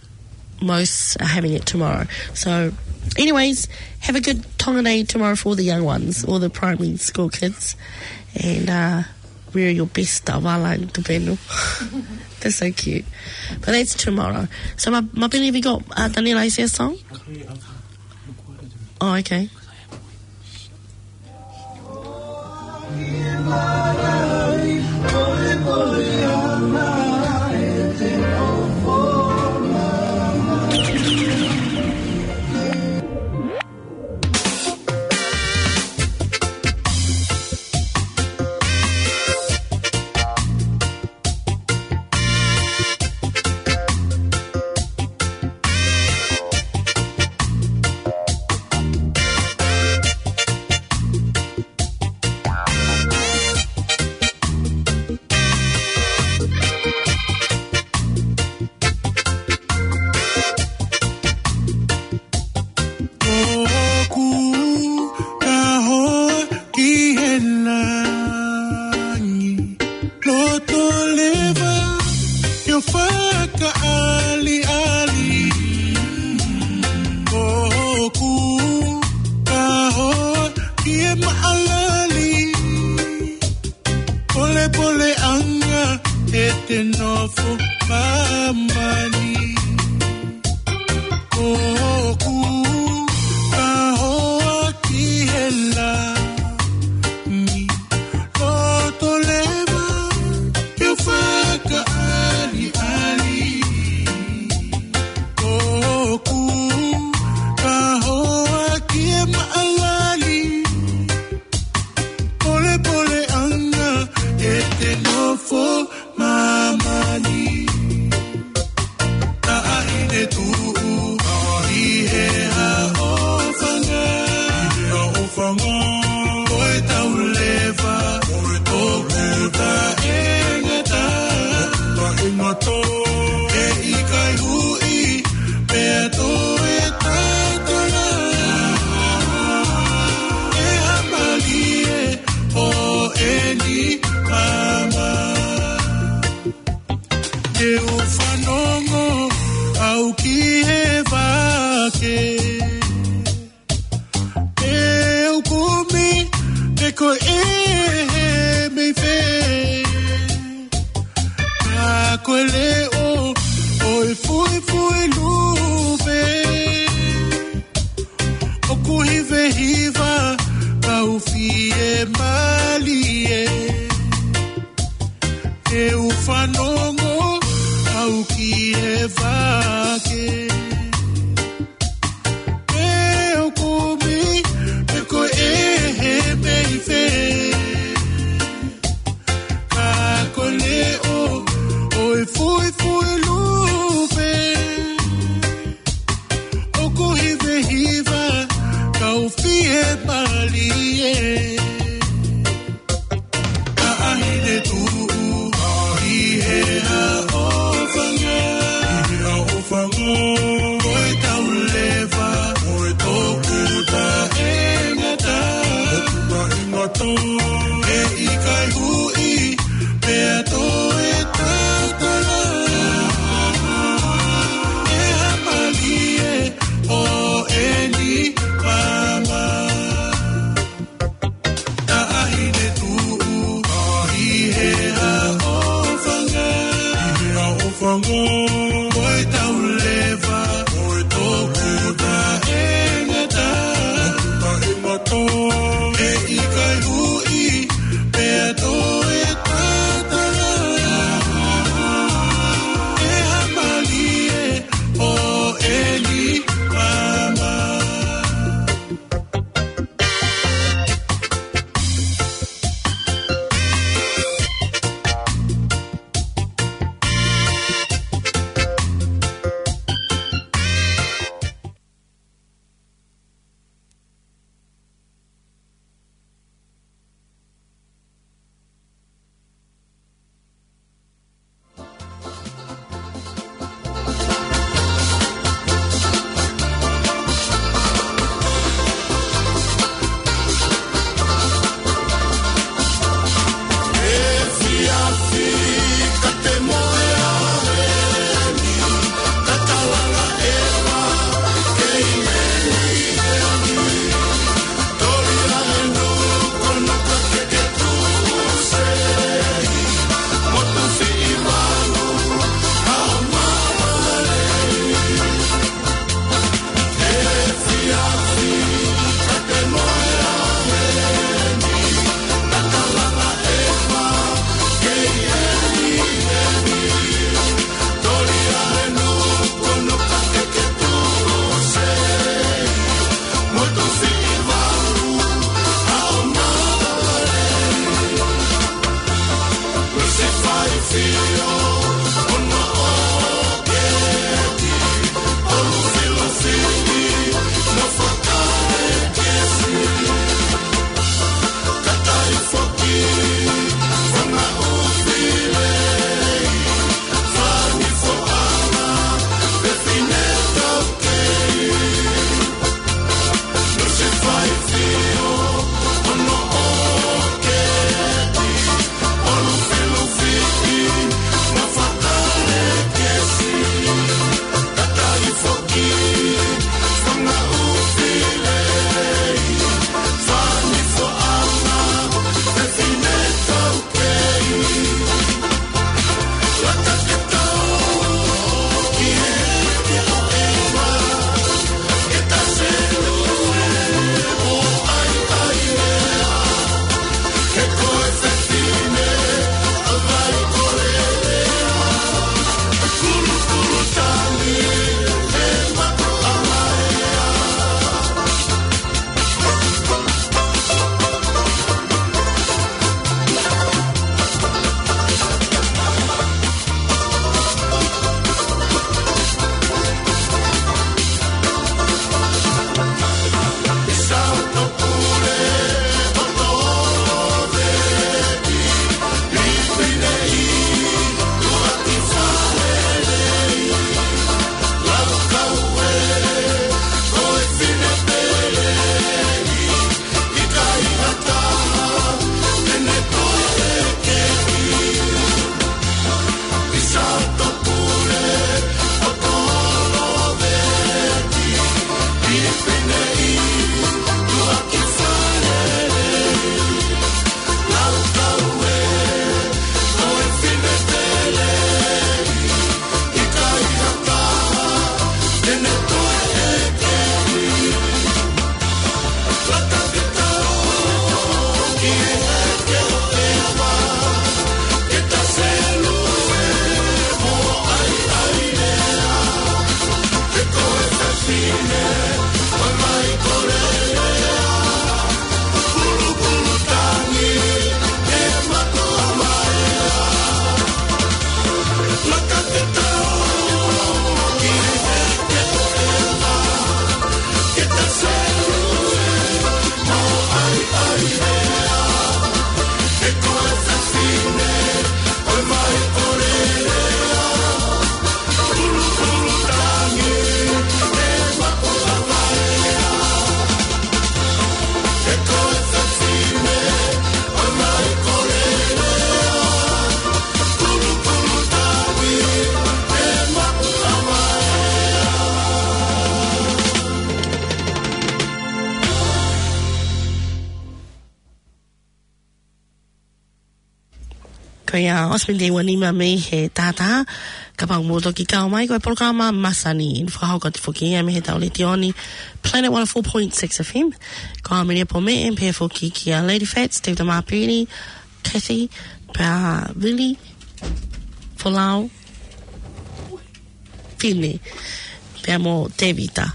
most are having it tomorrow. So anyways, have a good Tonga Day tomorrow for the young ones, all the primary school kids, and, uh, wear your best tavala and tupenu. That's so cute. But that's tomorrow. So Ma-, Mapili, have you got, uh, Taniela Aisea's song? Oh, okay. ʻOku kaho ki he langi, loto leva ke u fakaʻaliʻali. ʻOku kaho ki he maʻalali, polepoleʻanga ʻete nofo māmani. ʻOku kaho ki he langi, loto leva ke u fakaʻaliʻali. ʻOku kaho ki he maʻalali, polepoleʻanga ʻete nofo māmani. Taʻahine tuʻu ʻi he haʻofanga, ʻi he haʻofanga, ko e tau leva ʻoku taʻengata, taʻengata. ʻE ʻikai huʻi pea toe tatala, ʻe hā mālie ʻo eni māmā. Te u fanongo au ki he vake, te u kumi pe ko e hā e meʻa fē. Ka ko e leʻo ʻo e fuifui lupe, ʻoku hivehiva kau fiemālie. ʻE u fanongo au ki he vake. ʻE u kumi, pe ko e hē mei fē. Ka ko e leʻo ʻo e fuifui lupe. ʻOku hivehiva, kau fie malie. Taʻahine tuʻu, ʻi he haʻofanga. ʻI he haʻofanga. Ko e tau leva, ko e toku taʻengata. Toku taʻengata. ʻE ʻikai huʻi, pea toe tatala. ʻE hā malie, ʻo eni mama. Taʻahine tuʻu, ʻi he haʻofanga. ʻI he haʻofanga. Ko e tau leva, ko e toku taʻengata. Toku taʻengata. ʻE ʻikai huʻi, pea toe tatala. ʻE hā malie, ʻo eni mama. Ko ia ʻosi pē ʻa e ua nima mei he taha taha, kapau ʻoku mou toki kau mai, ko e polokalama Masani, ʻoku fakahoko atu foki ia mei he tau letiō ni, Planet one oh four point six F M. Ko au Mele Pome, pehē foki kia Lady Fats, Teuta Mapiri, Kathy, pea Vili, Folau, Fine, pea mo Tevita,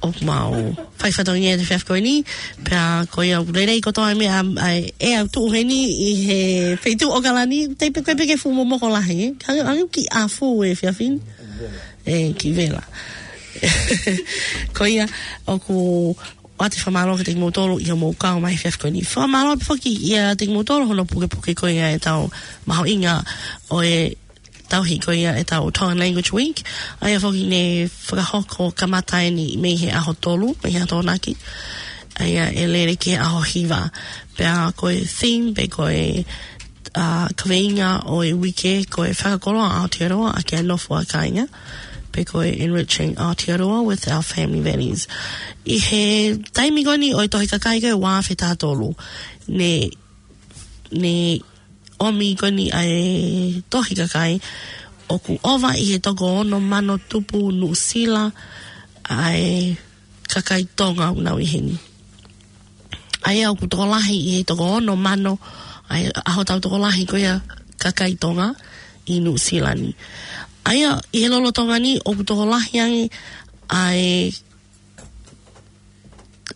ʻoku mau fai fatongia ʻi he efiafi ko eni, pea ko ia ʻoku lelei kotoa e meʻa, ʻa e, ʻe au tuʻu heni ʻi he feituʻu ʻAokalani, te pe ko e peke fuʻu momoko lahi, ē? Ka, ʻa e kiʻi ʻafu e efiafi ni. ʻE, kiʻi vela. Ko ia, ʻoku ʻoatu e fakamālō kiate kimoutolu ʻi hoʻomou kau mai he efiafi ko eni. Fakamālō pē foki kiate kimoutolu hono pukepuke ko ia e tau mahuʻinga ʻo e tauhi ko ia e tau Tongan Language Week. ʻA ia foki ne fakahoko kamata eni mei he ʻaho tolu, mei he ʻaho Tokonaki. ʻA ia ʻe lele ki he ʻaho hiva. Pea ko e theme pe ko e, ā, kaveinga ʻo e uike ko e Fakakoloa Aotearoa ʻaki ʻa e nofo ʻa kāinga. Pe ko e Enriching Aotearoa with Our Family Values. ʻI he taimi ko eni ʻo e tohi kakai ko e ua afe taha tolu, ne, ne ʻomi ko eni ʻa e tohi kakai ʻoku ʻova ʻi he toko ono mano tupu Nuʻusila ʻa e kakai Tonga ʻoku nau ʻi heni. ʻA ia ʻoku tokolahi ʻi he toko ono mano ʻa e ʻaho tau tokolahi ko ia kakai Tonga ʻi Nuʻusila ni. ʻA ia ʻi he lolotonga ni ʻoku tokolahi ange ʻa e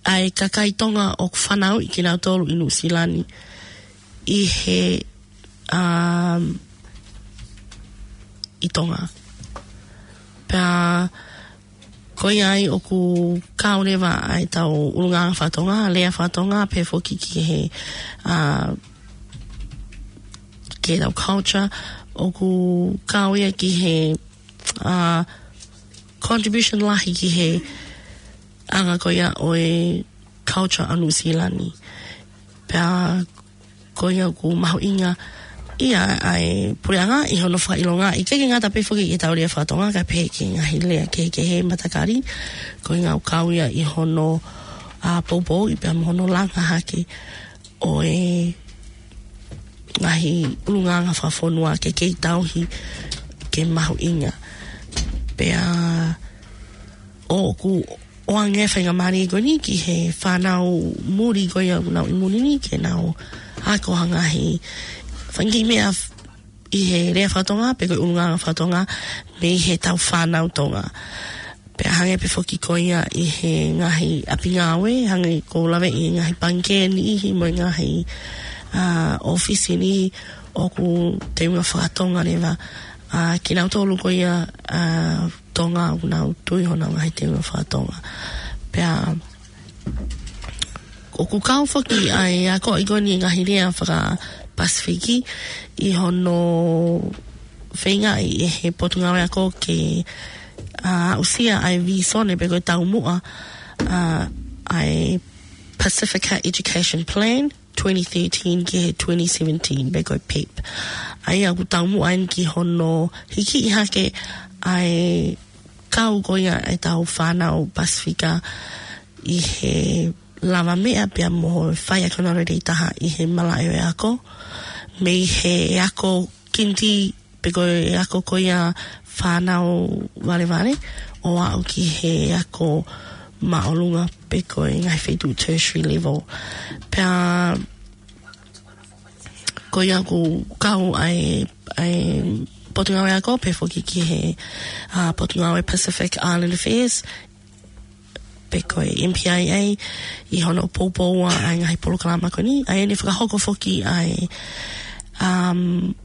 ʻa e kakai Tonga ʻoku fanauʻi kinautolu ʻi Nuʻusila ni ʻi he, um, ʻi Tonga. Pea ko ia ai ʻoku kau leva ʻa e tau ʻulungaanga faka-Tonga, lea faka-Tonga, pehē foki ki he, ā, ki he tau culture, ʻoku kau ia ki he, ā, contribution lahi ki he anga ko ia ʻo e culture ʻa Nuʻusila ni. Pea ko ia ʻoku mahuʻinga ia ʻa e puleʻanga ʻi hono fakaʻilonga, ʻikai ke ngata pē foki ki he tau lea faka-Tonga, ka pehē ki he ngaahi lea kehekehe matakali, ko e ngāue kau ia ʻi hono, ā, poupouʻi pea mo hono langa hake ʻo e ngaahi ʻulungaanga fakafonua ke kei tauhi ke mahuʻinga. Pea ʻoku ʻoange faingamālie ko eni ki he fānau muli ko ia ʻoku nau ʻi muli ni ke nau ako ha ngaahi fanga kiʻi meʻa f-, ʻi he lea faka-Tonga, pe ko e ʻulungaanga faka-Tonga, mei he tau fānau Tonga. Pea hangē pē foki ko ia ʻi he ngaahi ʻapi ngāue, hangē ko e lave ʻi he ngaahi pangikē ʻi he mo e ngaahi, ā, ʻōfisi ni ʻoku teunga faka-Tonga leva, ā, kinautolu ko ia, ā, Tonga ʻoku nau tui honau ngaahi teunga faka-Tonga. Pea ʻoku kau foki ʻa e akoʻi ko eni e ngaahi lea faka-Pasifiki ʻi hono feingaʻi ʻe he Potungāue Ako ke, ā, aʻusia ʻa e vīsone pe ko e taumuʻa, ā, ʻa e Pacifica Education Plan twenty thirteen ki he twenty seventeen pe ko e PEP. ʻA ia ʻoku taumuʻa eni ki hono hikiʻi hake ʻa e kau ko ia e tau fānau Pasifika ʻi he lava meʻa pea mo e faiako lelei taha ʻi he malaʻe ʻo e ako, mei he ako kiniti pe ko e ako ko ia fānau valevale, ʻo aʻu ki he ako māʻolunga pe ko e ngaahi feituʻu tertiary level. Pea ko ia ʻoku kau ʻa e, ʻa e Potungāue Ako, pehē foki ki he, ā, Potungāue Pacific Island Affairs, pe ko e M P I A, ʻi hono poupouʻi ʻa e ngaahi polokalama ko eni. ʻA ia ne fakahoko foki ʻa e, um,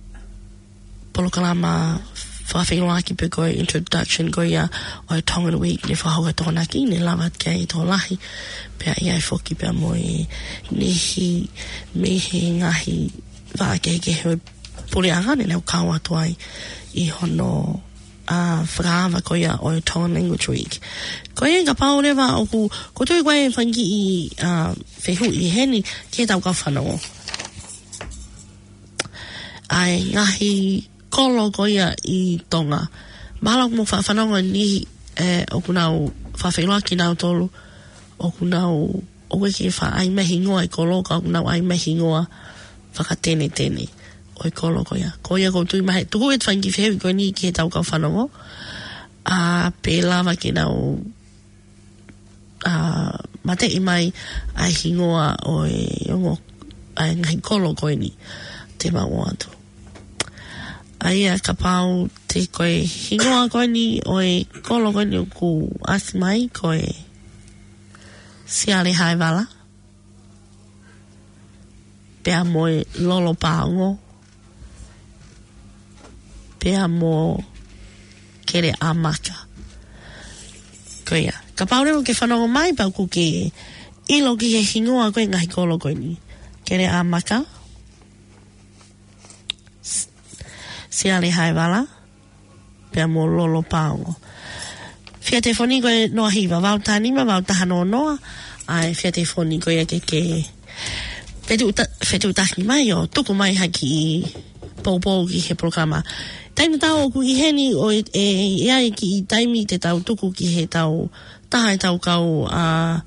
polokalama fakafeʻiloaki pe ko e introduction ko ia ʻo e Tongan Week ne fakahoko ʻe Tokonaki, ne lava ki ai e tokolahi. Pea ʻi ai foki pea mo e niʻihi mei he ngaahi vaʻa kehekehe ʻo e puleʻanga ne nau kau atu ai ʻi hono, ā, fakaava ko ia ʻo e Tongan Language Week. Ko ia kapau leva ʻoku, ʻoku tui ko e fanga kiʻi, ā, fehuʻi heni ki he tau kau fanongo. ʻA e ngaahi kolo ko ia ʻi Tonga. Mahalo ʻoku mou faʻa fanongo niʻihi, ē, ʻoku nau faʻa feʻiloaki kinautolu, ʻoku nau, ʻoku ʻikai ke faʻa ʻai mai hingoa e kolo, ka ʻoku nau ʻai mai hingoa fakatenetene. ʻo e kolo ko ia. Ko ia ʻoku ou tui mahalo ʻe tuku atu e fanga kiʻi fehuʻi ko eni ki heʻetau kau fanongo. ʻA, pea lava ke nau, ʻa, mateʻi mai ʻa e hingoa ʻo e ongo, ʻa e ngaahi kolo ko eni te mau ʻoatu. ʻA ia kapau te ko e hingoa ko eni ʻo e kolo ko eni ʻoku ʻasi mai ko e Siale Haevala, pea mo e Lolo Paongo, pea mo Keleʻamaka. Ko ia. Kapau leva ʻoku ke fanongo mai pea ʻoku ke ʻilo ki he hingoa ko e ngaahi kolo ko eni. Keleʻamaka, S-, Siale Haevala, pea mo Lolo Paongo. Fia telefoni ko e noa hiva, valu taha nima, valu taha noa noa, ʻa e fia telefoni ko ia ke ke fetuʻuta-, fetuʻutaki mai ʻo tuku mai ha kiʻi poupou ki he polokalama. Taimi tatau ʻoku ʻi heni ʻo e, ʻe, ʻe ʻi ai e kiʻi taimi te tau tuku ki heʻetau taha ʻetau kau, ʻa,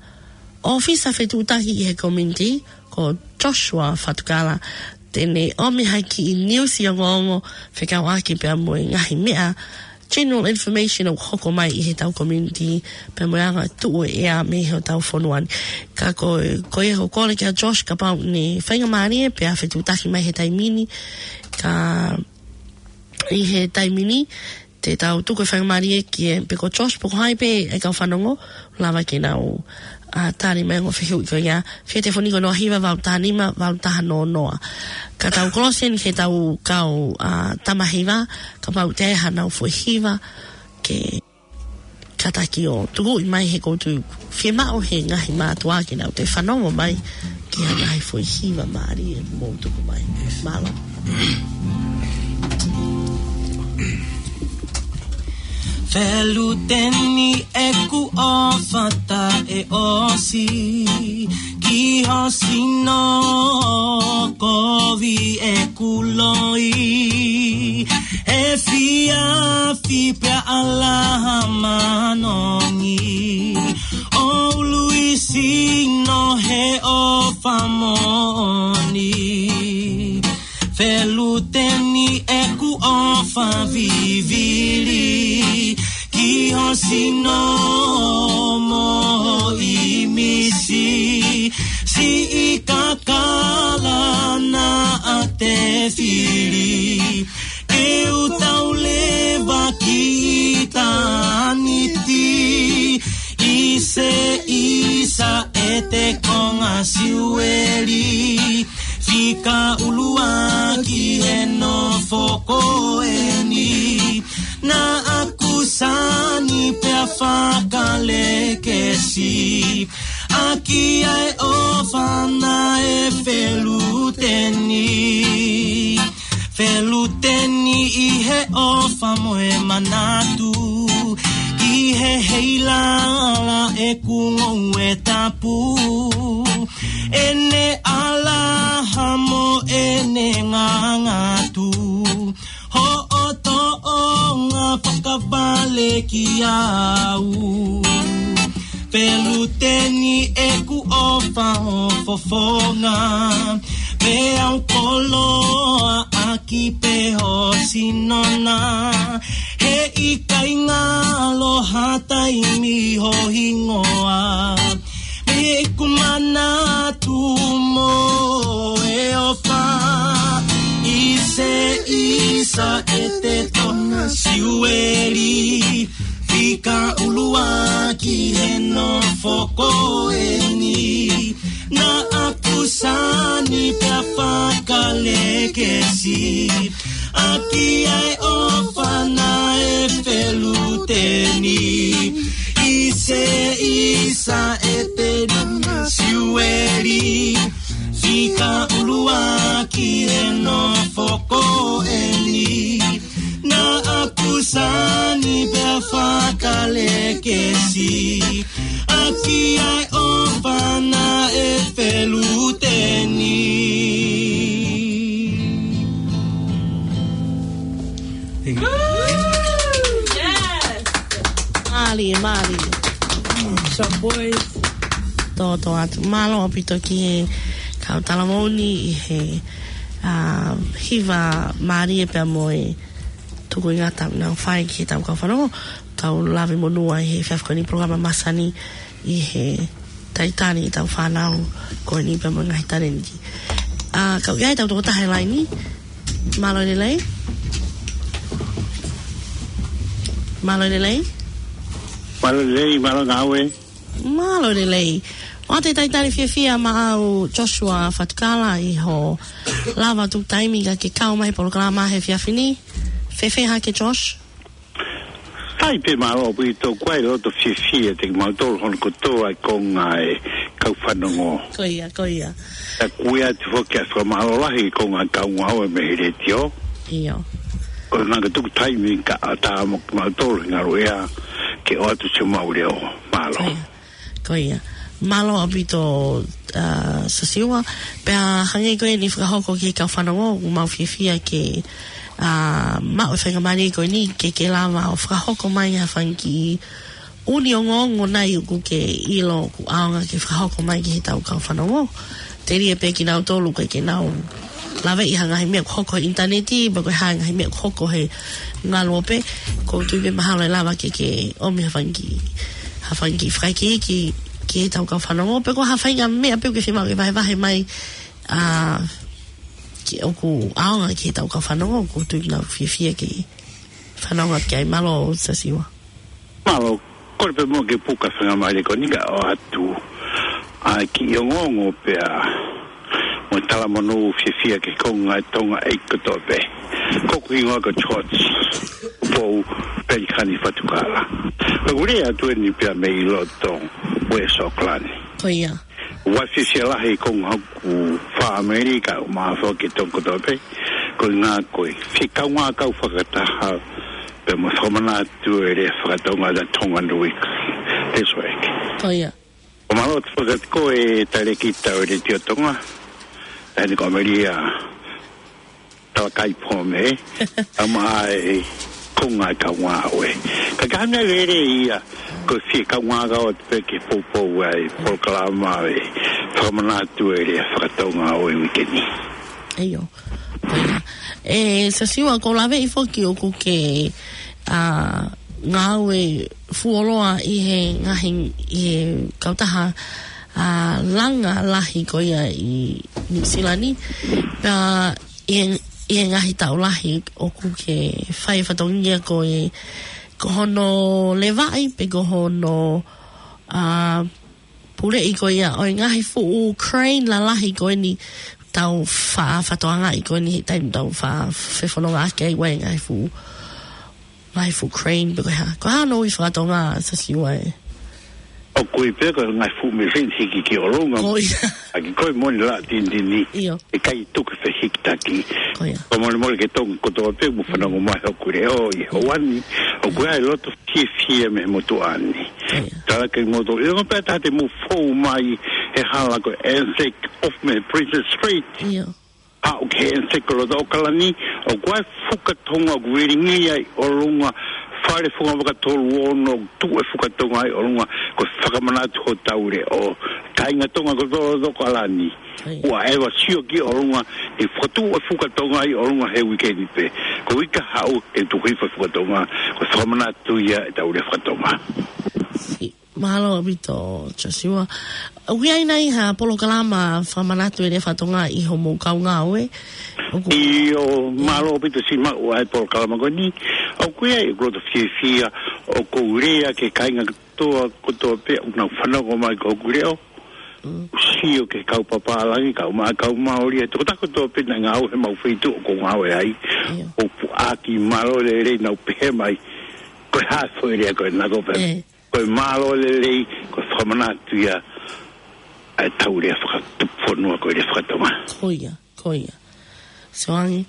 ʻōfisa fetuʻutaki ʻi he community, ko Joshua Fatukala, te ne ʻomi ha kiʻi niusi ongoongo fekauʻaki pea mo e ngaahi meʻa, general information ʻoku hoko mai ʻi heʻetau community, pea mo e anga tuʻu e ʻea mei hotau fonua ni. Ka ko, ko ia ʻoku ou kole kia Josh kapau ʻe faingamālie pea fetuʻutaki mai he taimi ni, ka ʻi he taimi ni, te tau tuku e faingamālie ki he, pe ko Josh, pe ko hai pē e kau fanongo, lava ke nau, ʻa, tali mai ongo fehuʻi ko ia, fia telefoni ko e noa hiva, valu taha nima, valu taha noa noa. Ka tau kolosi eni ki heʻetau kau, ʻa, tama hiva, kapau ʻe ʻi ai haʻanau foʻi hiva, ke kātaki ʻo tukuʻi mai he ʻoku ou tui fiemaʻu he ngaahi mātuʻa ke nau toe fanongo mai ki ha ngaahi foʻi hiva mālie ʻoku mou tuku mai. Mālō. Feluteni ʻeku ʻofa taʻeʻosi ki ho sino kovi ʻeku loi, efiafi pea ʻalaha manongi, ʻo ului sino he ʻofa moʻoni. Feluteni ʻeku ʻofa vivili ki ho sino mo ho ʻīmisi, siʻi kakala naʻa te fili, ke u tau leva ki ʻitāniti, ʻi se ʻisa ʻete konga siueli, fika ʻuluaki he nofo ko eni. Naʻa ku sani pea fakalekesi ʻaki ʻa e ʻofa naʻe feluteni. Feluteni ʻi he ʻofa mo e manatu, ki he heilala ʻeku ngoue tapu, ʻene ʻalaha mo ʻene ngangatu, hoʻo tōʻonga fakavale kiate au. Feluteni ʻeku ʻofa ho fofonga, pea u koloaʻaki pē ho sino na, he ʻikai ngalo ha taimi ho hingoa. Mei heʻeku manatu mo e ʻofa, ʻi se ʻisa ʻete konga siueli, fika ʻuluaki he nofo ko eni. Naʻa ku sani pea fakalekesi ʻaki ʻa e ʻofa naʻe feluteni. ʻI se ʻisa ʻete konga siueli, fika ʻuluaki he nofo ko eni. Naʻa ku sani pea fakalekesi ʻaki ʻa e ʻofa naʻe feluteni. Thank you. Yes. Mālie, mālie. So, boys. Tōtōatu. Mālō ʻaupito ki he kau talavou ni ʻi he ʻa, hiva mālie pea mo e tukuingata naʻa nau fai ki heʻetau kau fanongo, tau lave monū ai he efiafi ko eni polokalama masani ʻi he taitani ʻetau fānau ko eni pea mo e ngaahi talēniti. ʻA, kau ʻi ai ʻetau tokotaha he laini, mālō e lelei. Mālō e lelei. Mālō e lelei, mālō e ngāue. Mālō e lelei. ʻOatu e taitani fiefia maʻau Joshua Fatukala ʻi hoʻo lava tuku taimi kae kau mai he polokalama he efiafi ni. Fēfē hake Josh? Sai pē, mālō ʻaupito, ʻoku ou loto fiefia kiate kimautolu hono kotoa e konga e kau fanongo. Ko ia, ko ia. Pea ʻoku ou ʻoatu foki ʻa e fakamālō lahi ki he konga e kau ngāue mei he letiō. ʻIo. Ko e ngaahi tuku taimi kae ʻatā mo kimautolu he ngaluʻea ke ʻoatu siʻomau leʻo. Mālō. Ko ia. Ko ia. Mālō ʻaupito, ʻa, Sasiua. Pea hangē ko eni fakahoko ki he kau fanongo, ʻoku mau fiefia ke, ʻa, maʻu e faingamālie ko eni ke ke lava ʻo fakahoko mai ha fanga kiʻi ʻū ongoongo nai ʻoku ke ʻilo ʻoku ʻaonga ke fakahoko mai ki heʻetau kau fanongo. Telia pē kinautolu ʻoku ʻikai ke nau laveʻi ha ngaahi meʻa ʻoku hoko he ʻinitaneti, pe ko e hā e ngaahi meʻa ʻoku hoko he ngaluope. ʻOku ou tui pē mahalo ʻe lava ke ke ʻomi ha fanga kiʻi, ha fanga kiʻi fakaikiiki ki heʻetau kau fanongo. Pe ko ha faʻahinga meʻa pē ʻoku ke fiemaʻu ke vahevahe mai, ʻa, ke ʻoku ʻaonga ki heʻetau kau fanongo, ʻoku ou tui ʻoku nau fiefia ke fanongo ki ai. Mālō Sasiua. Mālō, kole pē muʻa ke puka e faingamālie ko eni kae ʻoatu ʻa e kiʻi ongoongo pea mo e talamonū fiefia ki he konga e Tonga ʻi he kotoa pē. Ko hoku hingoa ko George Pou Pelikani Fatukala. Pea ʻoku ou lea atu eni pea mei loto West Auckland. Ko ia. ʻOku ou fiefia lahi he konga hoku fāmili kae ʻumaʻā foki e Tonga kotoa pē. Ko e ngaahi, ko e fie kaungā kau fakataha pea mo e fakamanatu e lea fakatonga, the Tongan Week this week. Ko ia. ʻOku mālō atu foki atu ko e talēkita ʻo e Letiō Tonga, ʻa eni ko Amelia Talakai Pome, ʻa maʻa e konga e kau ngāue. Ka ko e meʻa lelei ia, ko e fie kaungā kau atu pē ke poupou ai e polokalama e fakamanatu e lea fakatonga ʻo e uike ni. ʻIo. Ko ia. ʻE Sasiua, ʻoku ou laveʻi foki ʻoku ke, ʻa, ngāue fuoloa ʻi he ngaahi, ʻi he kautaha, ʻa, langa lahi ko ia ʻi New Zealand ni. Pea ʻi he, ʻi he ngaahi taʻu lahi ʻoku ke fai e fatongia ko e, ko hono levaʻi pe ko hono, ʻa, puleʻi ko ia ʻo e ngaahi fuʻu crane lalahi ko eni ʻoku tau fa-, fakatokangaʻi ko eni he taimi ʻoku tau fa-, fefonongaʻaki ai, ʻa e ngaahi fuʻu, ngaahi fuʻu crane pe ko e hā. Ko e hā hono ui fakatonga, Sasiua, ē? ʻOku ui pē ko e ngaahi fuʻu mīsini hiki ki ʻolunga. Ko ia. ʻAki ko e moni la tinitini. ʻIo. ʻIkai tuku e fehikitaki. Ko ia. Ko e molemole ki he Tonga kotoa pē ʻoku mou fanongo mai hoku leʻo ʻi he ʻaho ni. ʻOku ʻi ai e loto fiefia mei he motuʻa ni. Ko ia. Tala ke moto. ʻIo, pea tā te mou fou mai he hala ko e Anzac off mei Princes Street. ʻIo. ʻAʻu ki he Anzac ʻi loto ʻAokalani, ʻoku ʻi ai e fuka Tonga ʻoku vilingia ʻi ʻolunga, fale funga vaka tolu ono, tuʻu e fuka Tonga ʻi ʻolunga, ko e fakamanatu hotau leʻo. Kāinga Tonga kotoa ʻi loto ʻAokalani. ʻIo. ʻOua ʻe ava sio ki ʻolunga, ʻe fakatuʻu e fuka Tonga ʻi ʻolunga he uike ni pē. Ko e uike kahaʻu ʻe tuku hifo e fuka Tonga, ko e fakamanatu ia ʻetau lea fakatonga. Si-, mālō ʻaupito, Joshua. ʻOku ʻi ai nai ha polokalama fakamanatu e lea fakatonga ʻi hoʻomou kau ngāue? ʻOku ʻIo, mālō ʻaupito siʻi maʻu ʻa e polokalama ko eni. ʻOku ʻi ai, ʻoku ou loto fiefia, ʻoku ou lea ki he kāinga kotoa, kotoa pē ʻoku nau fanongo mai ki hoku leʻo. Mm. Sio ki he kau papālangi, kau ma-, kau Māori, ʻa e tokotaha kotoa pē naʻe ngāue he mau feituʻu ʻoku ou ngāue ai. ʻIo. ʻOku puʻaki mālō e lelei naʻa nau pehē mai. Ko e hā e foʻi lea ko ena ko pē. ʻE. Ko e mālō e lelei, ko e fakamanatu ia ʻa ʻetau lea fakatupu fonua ko e lea fakatonga. Ko ia, ko ia. Soangi,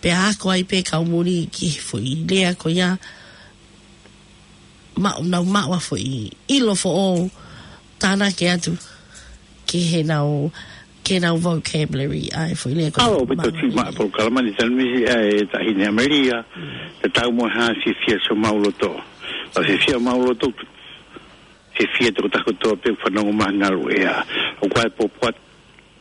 pea ako ai pē kau muli ki he foʻi lea ko ia, maʻu, nau maʻu ha foʻi ʻilo foʻou, tānaki atu ki heʻenau, ki heʻenau vocabulary, ʻa e foʻi lea ko ia. Mālō ʻaupito siʻi maʻu e polokalama ni, Tanumisi, ʻa e Taʻahine Amelia, Mm. tatau mo e hā e fiefia siʻomau loto. Pea fiefia homau loto, fiefia e tokotaha kotoa pē ʻoku fanongo mai he ngaluʻea. ʻOku ʻi ai e pōpoaki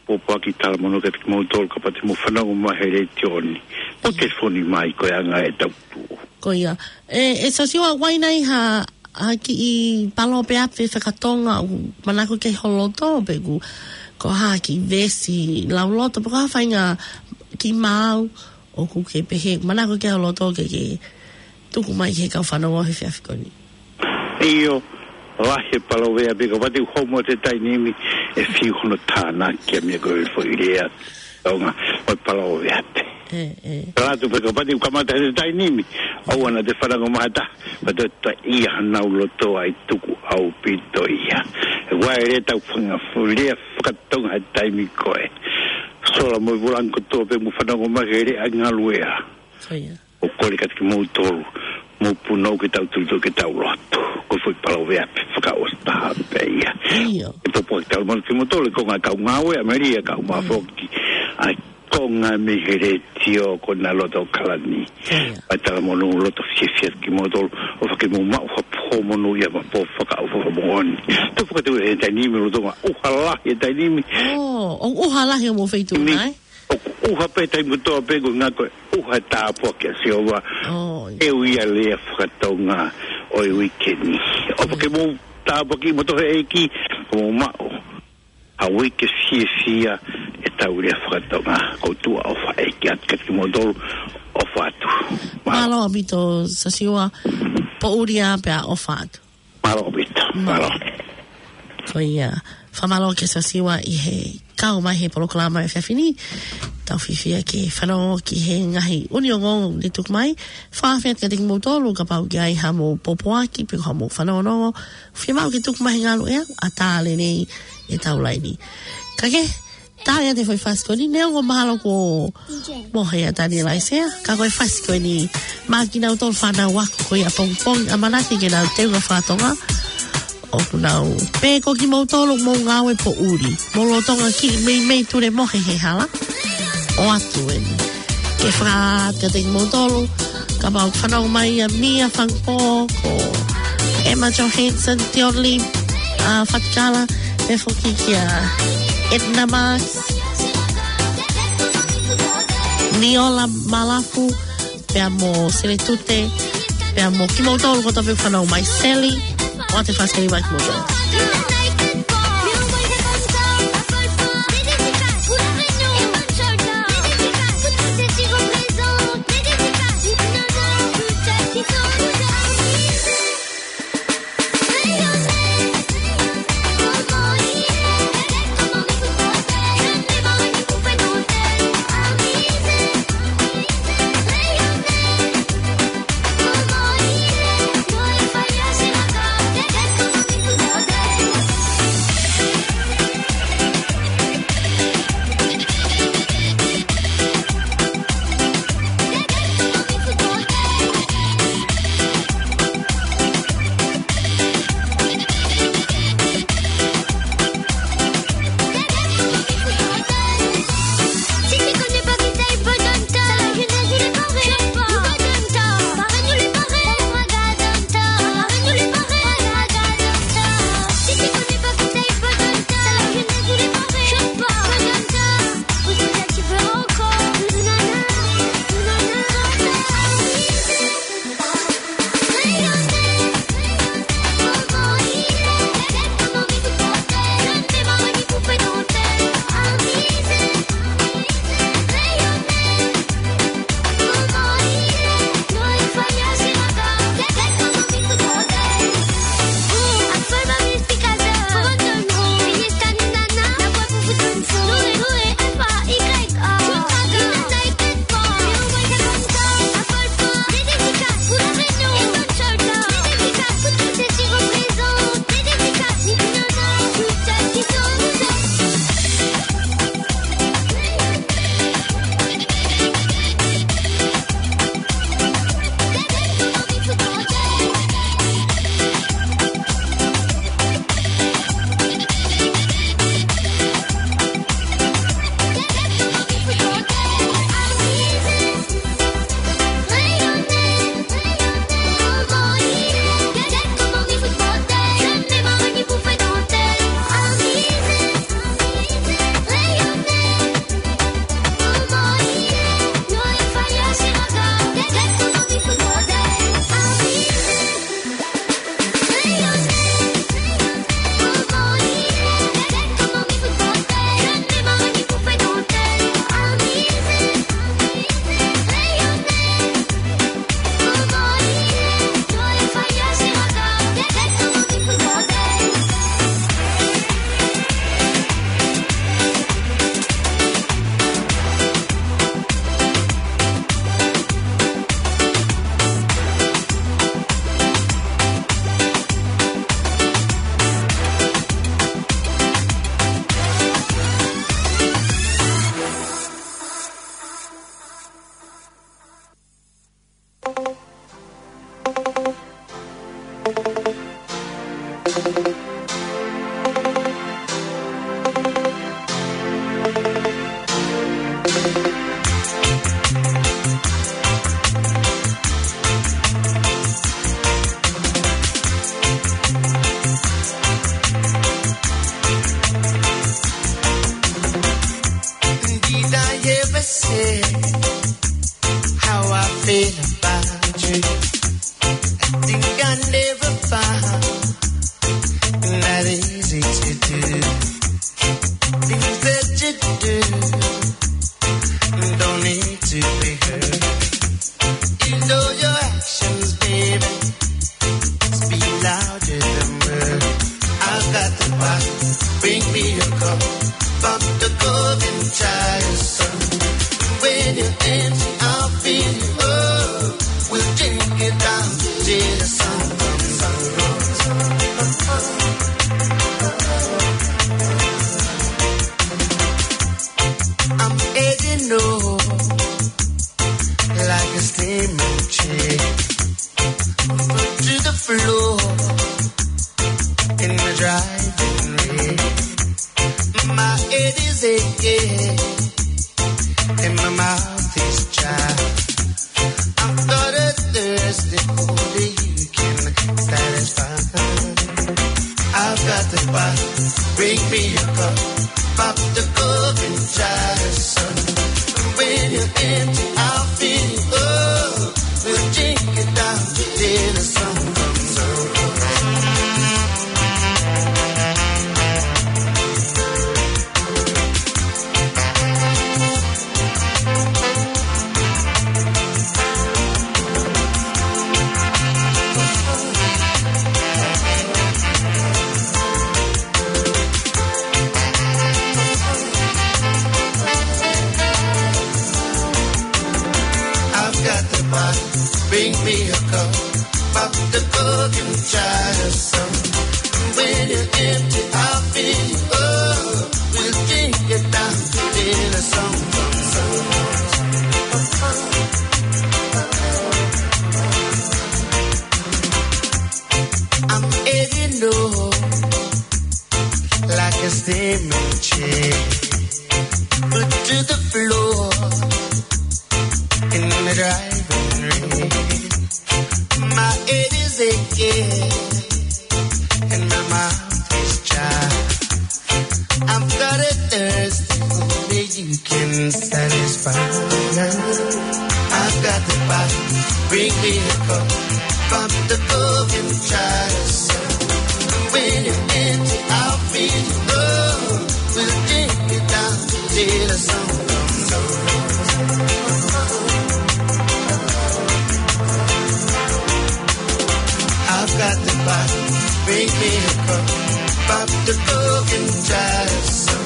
pōpoaki talamonū kiate kimoutolu kapau te mou fanongo mai he letiō ni. Mou telefoni mai ko e anga ʻetau tuʻu. Ko ia. ʻE, ʻe Sasiua, ʻoku ʻi ai nai ha, ha kiʻi paloveape faka-Tonga ʻoku manako ki ai ho loto, pe ʻoku, ko ha kiʻi veesi lauloto, pe ko ha faʻahinga kiʻi maau ʻoku ke pehē, manako ki ai ho loto ke, ke tuku mai ki he kau fanongo he efiafi ko eni. ʻIo, lahi e paloveape, kapau te u homo atu he taimi ni, ʻe fiu hono tānaki ʻa e meʻa ko e foʻi lea Tonga, ʻo e paloveape. ʻE, ʻe. Latu pē kapau te u kamata he taimi ni, ʻoua naʻa te fanongo mai ha taha, pea toe taʻe ʻi ai hanau loto ʻa e tuku ʻaupito ia. ʻE ua e lea tau fanga fu-, lea faka-Tonga he taimi ko ē. Sola mo e vūlangi kotoa pē mou fanongo mai he lea ʻa e ngaluea. Ko ia. ʻOku ou kole kiate kimoutolu, mou punou ke tau tuli tuli ke tau lotu. Ko e foʻi paloveape fakaʻosi taha pē ia. ʻIo. ʻE pōpoaki talamonū kimoutolu, ko e ngaahi kau ngāue ʻa Melia, kau mai foki ʻa e konga mei he letiō ko ena loto ʻo Kalani. Ko ia. ʻE talamonū loto fiefia kimoutolu, ʻofa ke mou maʻu ha pō monū ia mo e pō fakaʻofoʻofa moʻoni. Tau fakatau he taimi ni mo e lolotonga ʻuha lahi he taimi ni. ʻŌ, ʻoku ʻuha lahi homou feituʻu na, ē? ʻOku ʻuha pē taimi kotoa pē ko e ngaahi ko e ʻuha tāpuaki ʻa Sihova. ʻOi. ʻE ui ʻa e lea faka-Tonga ʻo e uike ni. ʻOfa ke mou tāpuakiʻi moutolu ʻe he ʻEiki, ke mou maʻu ha uike fiefia ʻetau lea faka-Tonga. Ko e tuʻa ʻofa ʻEiki atu kiate kimoutolu, ʻofa atu. Mālō. Mālō ʻaupito Sasiua, poʻuli ā pea ʻofa atu. Mālō ʻaupito. Mālō. Mālō. Ko ia, fakamālō kia Sasiua ʻi he kau mai he polokalama efiafi ni. Tau fiefia ke fanongo ki he ngaahi ʻū ongoongo ne tuku mai. Fakafetaʻi kiate kimoutolu kapau ʻoku ʻi ai hamou pōpoaki pe ko hamou fanongonongo, fiemaʻu ke tuku mai he ngaluʻea, ʻatā lelei ʻetau laini. Ka ke, tā ia e foʻi fasi ko eni, neongo mahalo kuo mohe ʻa Taniela ʻAisea, ka ko e fasi ko eni maʻa kinautolu fānau ako ko ia ʻapongipongi, ʻamanaki ke nau teunga faka-Tonga. ʻOku nau pehē ko kimoutolu mou ngāue poʻuli, mou lolotonga kiʻi meimei tulemohe he hala. ʻOatu eni ke fakataha kiate kimoutolu, kapau ʻoku fanongo mai ʻa Mia Fangpo, ko Emma Johansson, Tioli, ʻa Fatikala, pea foki kia Edna Marks, Niola Malafu, pea mo Sele Tute, pea mo kimoutolu kotoa pē ʻoku fanongo mai, Seli, ʻoatu e fasi ko eni maʻa kimoutolu. To the floor in the driving rain. My head is aching and my mouth is dry. I've got a thirst that only you can satisfy. I've got the bottle, bring me a cup. Pop the cork and try the sun. When you're empty, I'll fill you up. We'll drink it down till the sun comes up. I've got the bottle, bring me a cup. Pop the cork and try the sun. When you're empty, I'll fill you up. We'll drink it down till the sun comes up. I'm heading home like a steaming ship, put to the floor in the driving rain. My head is aching and my mouth is dry. I've got a thirst that only you can satisfy. I've got the bottle, bring me a cup. Pop the cork and try the sun. When you're empty, I'll fill you up. We'll drink it down till the sun comes up. I've got the bottle, bring me a cup. Pop the cork and try the sun.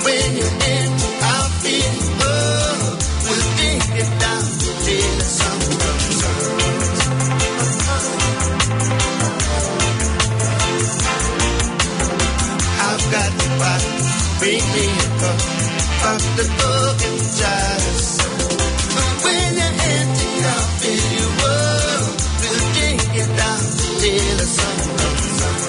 When you're empty, I'll fill you up. We'll drink it down till the sun comes up. I've got the bottle, bring me a cup. Pop the cork and try the sun. When you're empty, I'll fill you up. We'll drink it down till the sun comes up.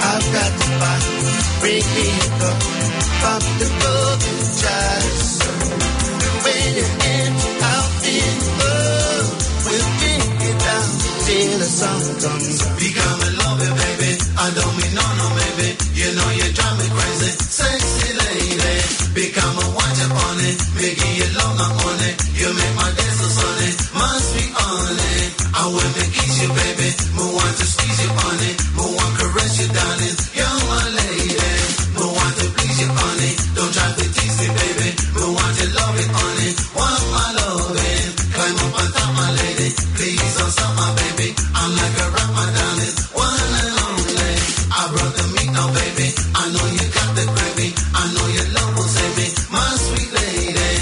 I've got the bottle, bring me a cup. Pop the cork and try the sun. When you're empty, I'll fill you up. We'll drink it down till the sun comes up. Become a lover, baby. I don't mean no, no, maybe. You know you drive me crazy, sexy lady. Become a watch upon it. Make it love my on it. You make my day so sunny. Must be on it. I wanna kiss you, baby. Mo want to squeeze you on it. Mo want caress you, darling. You're my lady. Mo want to please you on it. Don't try to tease me, baby. Mo want to love it on it. Want my loving. Climb up on top, my lady. Please don't stop, my baby. I'm like a rock, my darling. One and only. I brought the meat now, baby. I know you got the gravy. I know your love will save me. My sweet lady.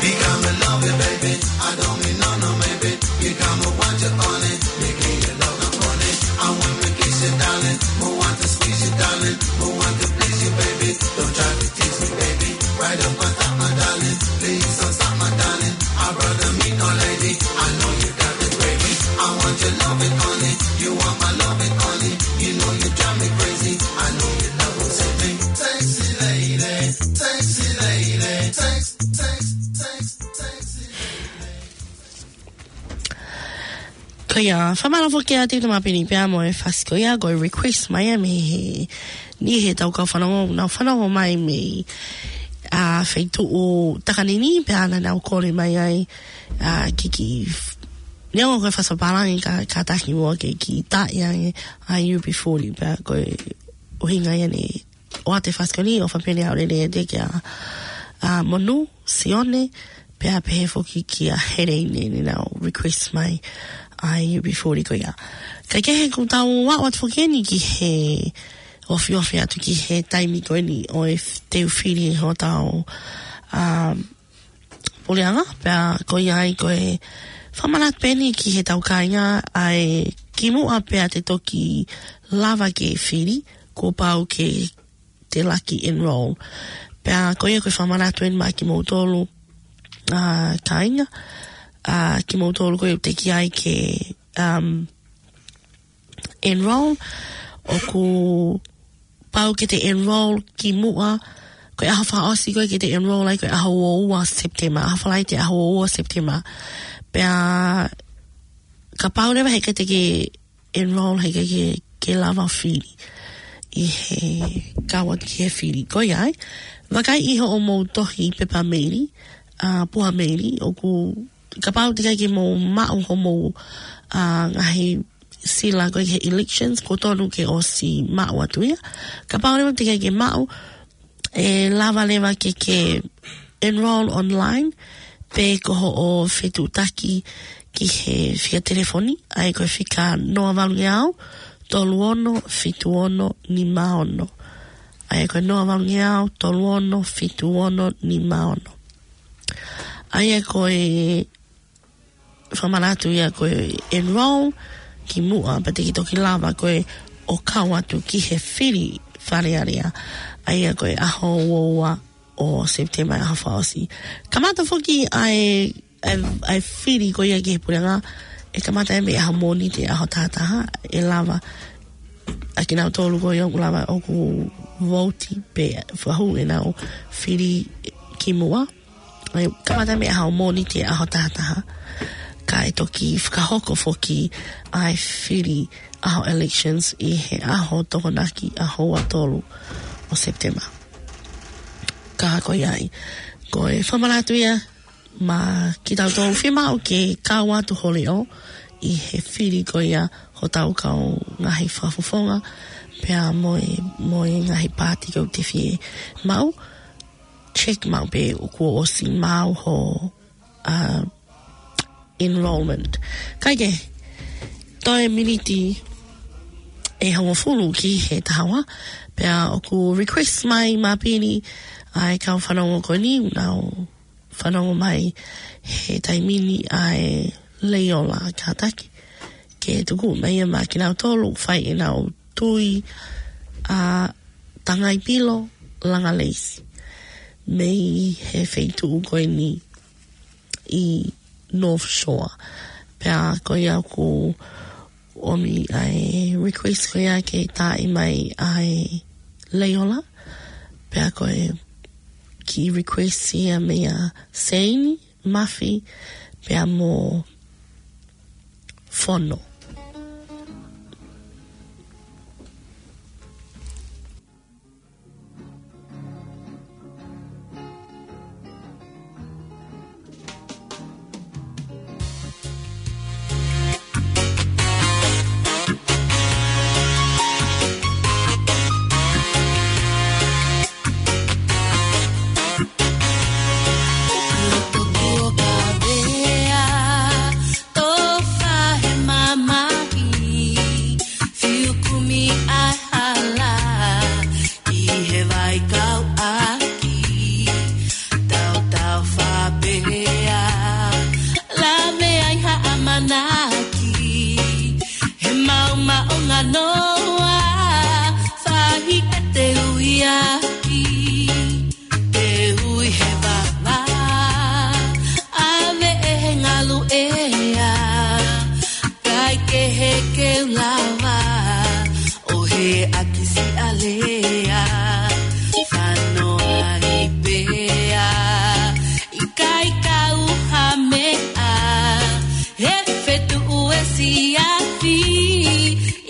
Become a lover, baby. I don't mean no, no, maybe. Become a watch upon it. Making your love upon it. I want to kiss you, darling. Mo want to squeeze you, darling. Mo want to please you, baby. Don't try to tease me, baby. Right up on top, my darling. Please don't stop, my darling. I brought the meat, no lady. I know you got the gravy. I want your loving on it. You want my loving on it. You know you drive me crazy. I know your love will save me. Sexy lady, sexy lady, sex, sex, sex, sexy lady. Ko ia, fakamālō foki atu ki he Tamapini pea mo e fasi ko ia, ko e request mai ia mei he niʻihi ʻetau kau fanongo, nau fanongo mai mei, ā, feituʻu Takanini, pea naʻa nau kole mai ai, ā, ke kiʻi, neongo ko e fasi pālangi ka, kātaki muʻa ke kiʻi tā ia ʻa e U B forty, pea ko e ʻuhinga ia ʻene ʻoatu e fasi ko eni, ʻofa pē ʻe au lele ʻiate ia kia, ā, Monu Sione, pea pehē foki kia Hereine, naʻa nau request mai ʻa e U B forty ko ia. Kae kehe, kuo tau aʻu atu foki eni ki he ofiofi atu ki he taimi ko eni ʻo e f-, teu fili hotau, ā, puleʻanga, pea ko ia ai ko e fakamanatu pē eni ki heʻetau kāinga ʻa e kimuʻa pea te toki lava ke fili, kuo pau ke te laki enroll. Pea ko ia ko e fakamanatu eni maʻa kimoutolu, ʻa, kāinga, ʻa, kimoutolu ko ē ʻoku teʻeki ai ke, um, enroll, ʻoku pau ke te enroll kimuʻa, ko e ʻaho fakaʻosi ko ē ke te enroll ai ko e ʻaho ua ua September, ʻaho Falaite ʻaho ua ua September. Pea kapau leva heʻikai te ke enroll heʻikai ke, ke lava fili ʻi he kau atu ki he fili. Ko ia ai, vakai ʻi hoʻomou tohi pepa meili, ʻa, puha meili, ʻoku kapau teʻeki ai ke mou maʻu hoʻomou, ʻa, ngaahi sila ko ē he elections, kuo tonu ke ʻosi maʻu atu ia. Kapau leva teʻeki ai ke maʻu, ʻe lava leva ke ke enroll online, pe ko hoʻo fetuʻutaki ki he fika telefoni, ʻa ia ko e fika noa valu ngeau, tolu ono, fitu ono, nima ono. ʻA ia ko e noa valu ngeau, tolu ono, fitu ono, nima ono. ʻA ia ko e fakamanatu ia ko e enroll kimuʻa, pea te ke toki lava ko ē ʻo kau atu ki he fili Fale Alea. ʻA ia ko e ʻaho ua ua ʻo September ʻaho fakaʻosi. Kamata foki ʻa e, ʻa e, ʻa e fili ko ia ki he puleʻanga, ʻe kamata ia mei he ʻaho Mōnite ʻaho taha taha, ʻe lava ʻa kinautolu ko ia ʻoku lava ʻoku vouti pe fakahū ʻenau fili kimuʻa. ʻE kamata mei he ʻaho Mōnite ʻaho taha taha. Kae toki fakahoko foki ʻa e fili ʻaho elections ʻi he ʻaho Tokonaki ʻaho ua tolu ʻo September. Ka ko ia ai, ko e fakamanatu ia maʻa kitautolu fiemaʻu ke kau atu ho leʻo ʻi he fili ko ia hotau kau ngaahi fakafofonga, pea mo e, mo e ngaahi paati ʻoku te fiemaʻu. Check maʻu pe kuo ʻosi maʻu ho, ʻa, enrollment. Kae kehe, toe miniti ʻe hongofulu ki he taha ua, pea ʻoku request mai maʻa Pini ʻa e kau fanongo ko eni, nau fanongo mai he taimi ni ʻa e Leiola Kātaki. Ke tuku mai ia maʻa kinautolu, fai ʻenau tui ʻa Tangaipilo Langa Leisi. Mei he feituʻu ko eni ʻi North Shore. Pea ko ia ʻoku ʻomi ʻa e request ko ia ke taaʻi mai ʻa e Leiola. Pea ko e kiʻi request ia meia Seini, Mafi, pea mo Fono. Tō faʻahi mamahi, fiu kumi ʻa e hala, ʻi he vai kau ʻaki, tautau faʻapehē, lave ai ha ʻamanaki, he maʻumaʻunga noa, faʻahi ʻe te ui ʻaki. Te ui he vava, ʻave ʻe he ngalu ʻea, kae kehe ke u lava ʻo hē ʻaki siʻa lea, fanoaʻi pea, ʻikai kau ha meʻa, he fetuʻu ʻe siafi,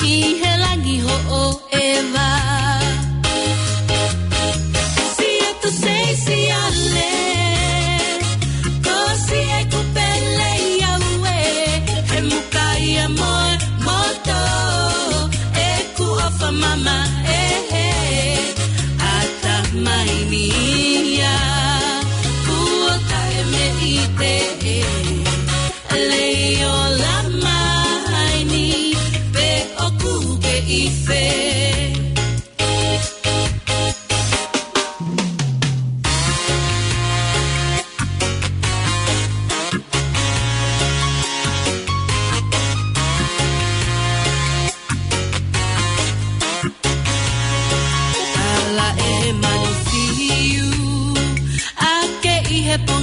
ʻi he langi hoʻo ʻeva. Sia tu sei sia le, ko si e ku pele ia ue, he muka ia mo e moto, ʻeku ʻofa mama ʻe he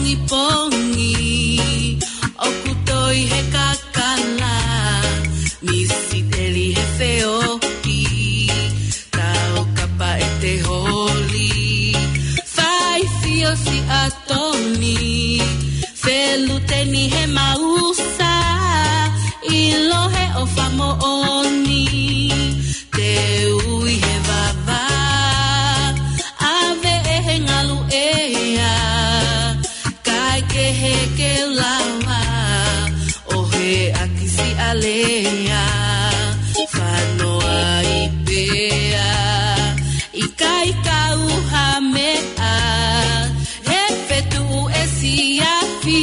ʻi pongi, ʻoku toi he kakala, misiteli he feohi, tau kapa ʻete holi, fai fio Siatoni, feluteni he mausa, ʻilo he ʻofa moʻoni, te ui he vava, ʻave ʻe he ngalu ʻea, kae kehe ke lava, ʻo he ʻakisi alea, fanoa ʻi pea, ʻikai kau ha meʻa, he fetuʻu ʻe siafi,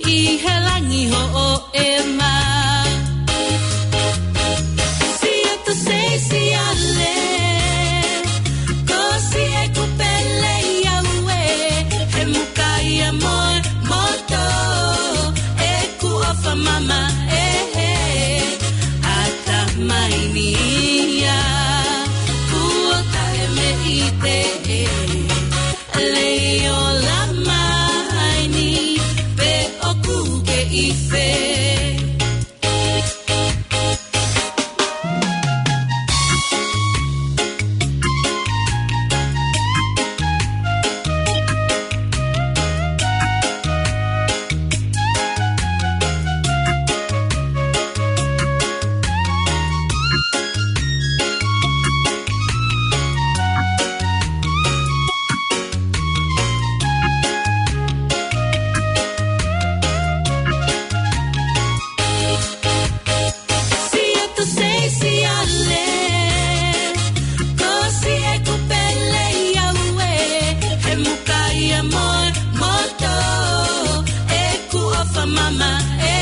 ʻi he langi hoʻo ʻema. Siatu sei siale, ko si ʻeku pele ʻi au ē, he muka ia mo e moto, ʻeku ʻofa mama ē, ʻatamai ni ia, kuo taʻe mei te e. Leiola mai ni, pe ʻoku ke ʻi fē. Siatu sei siale, ko si ʻeku pele ʻi au ē, he muka ia mo e moto, ʻeku ʻofa mama ē,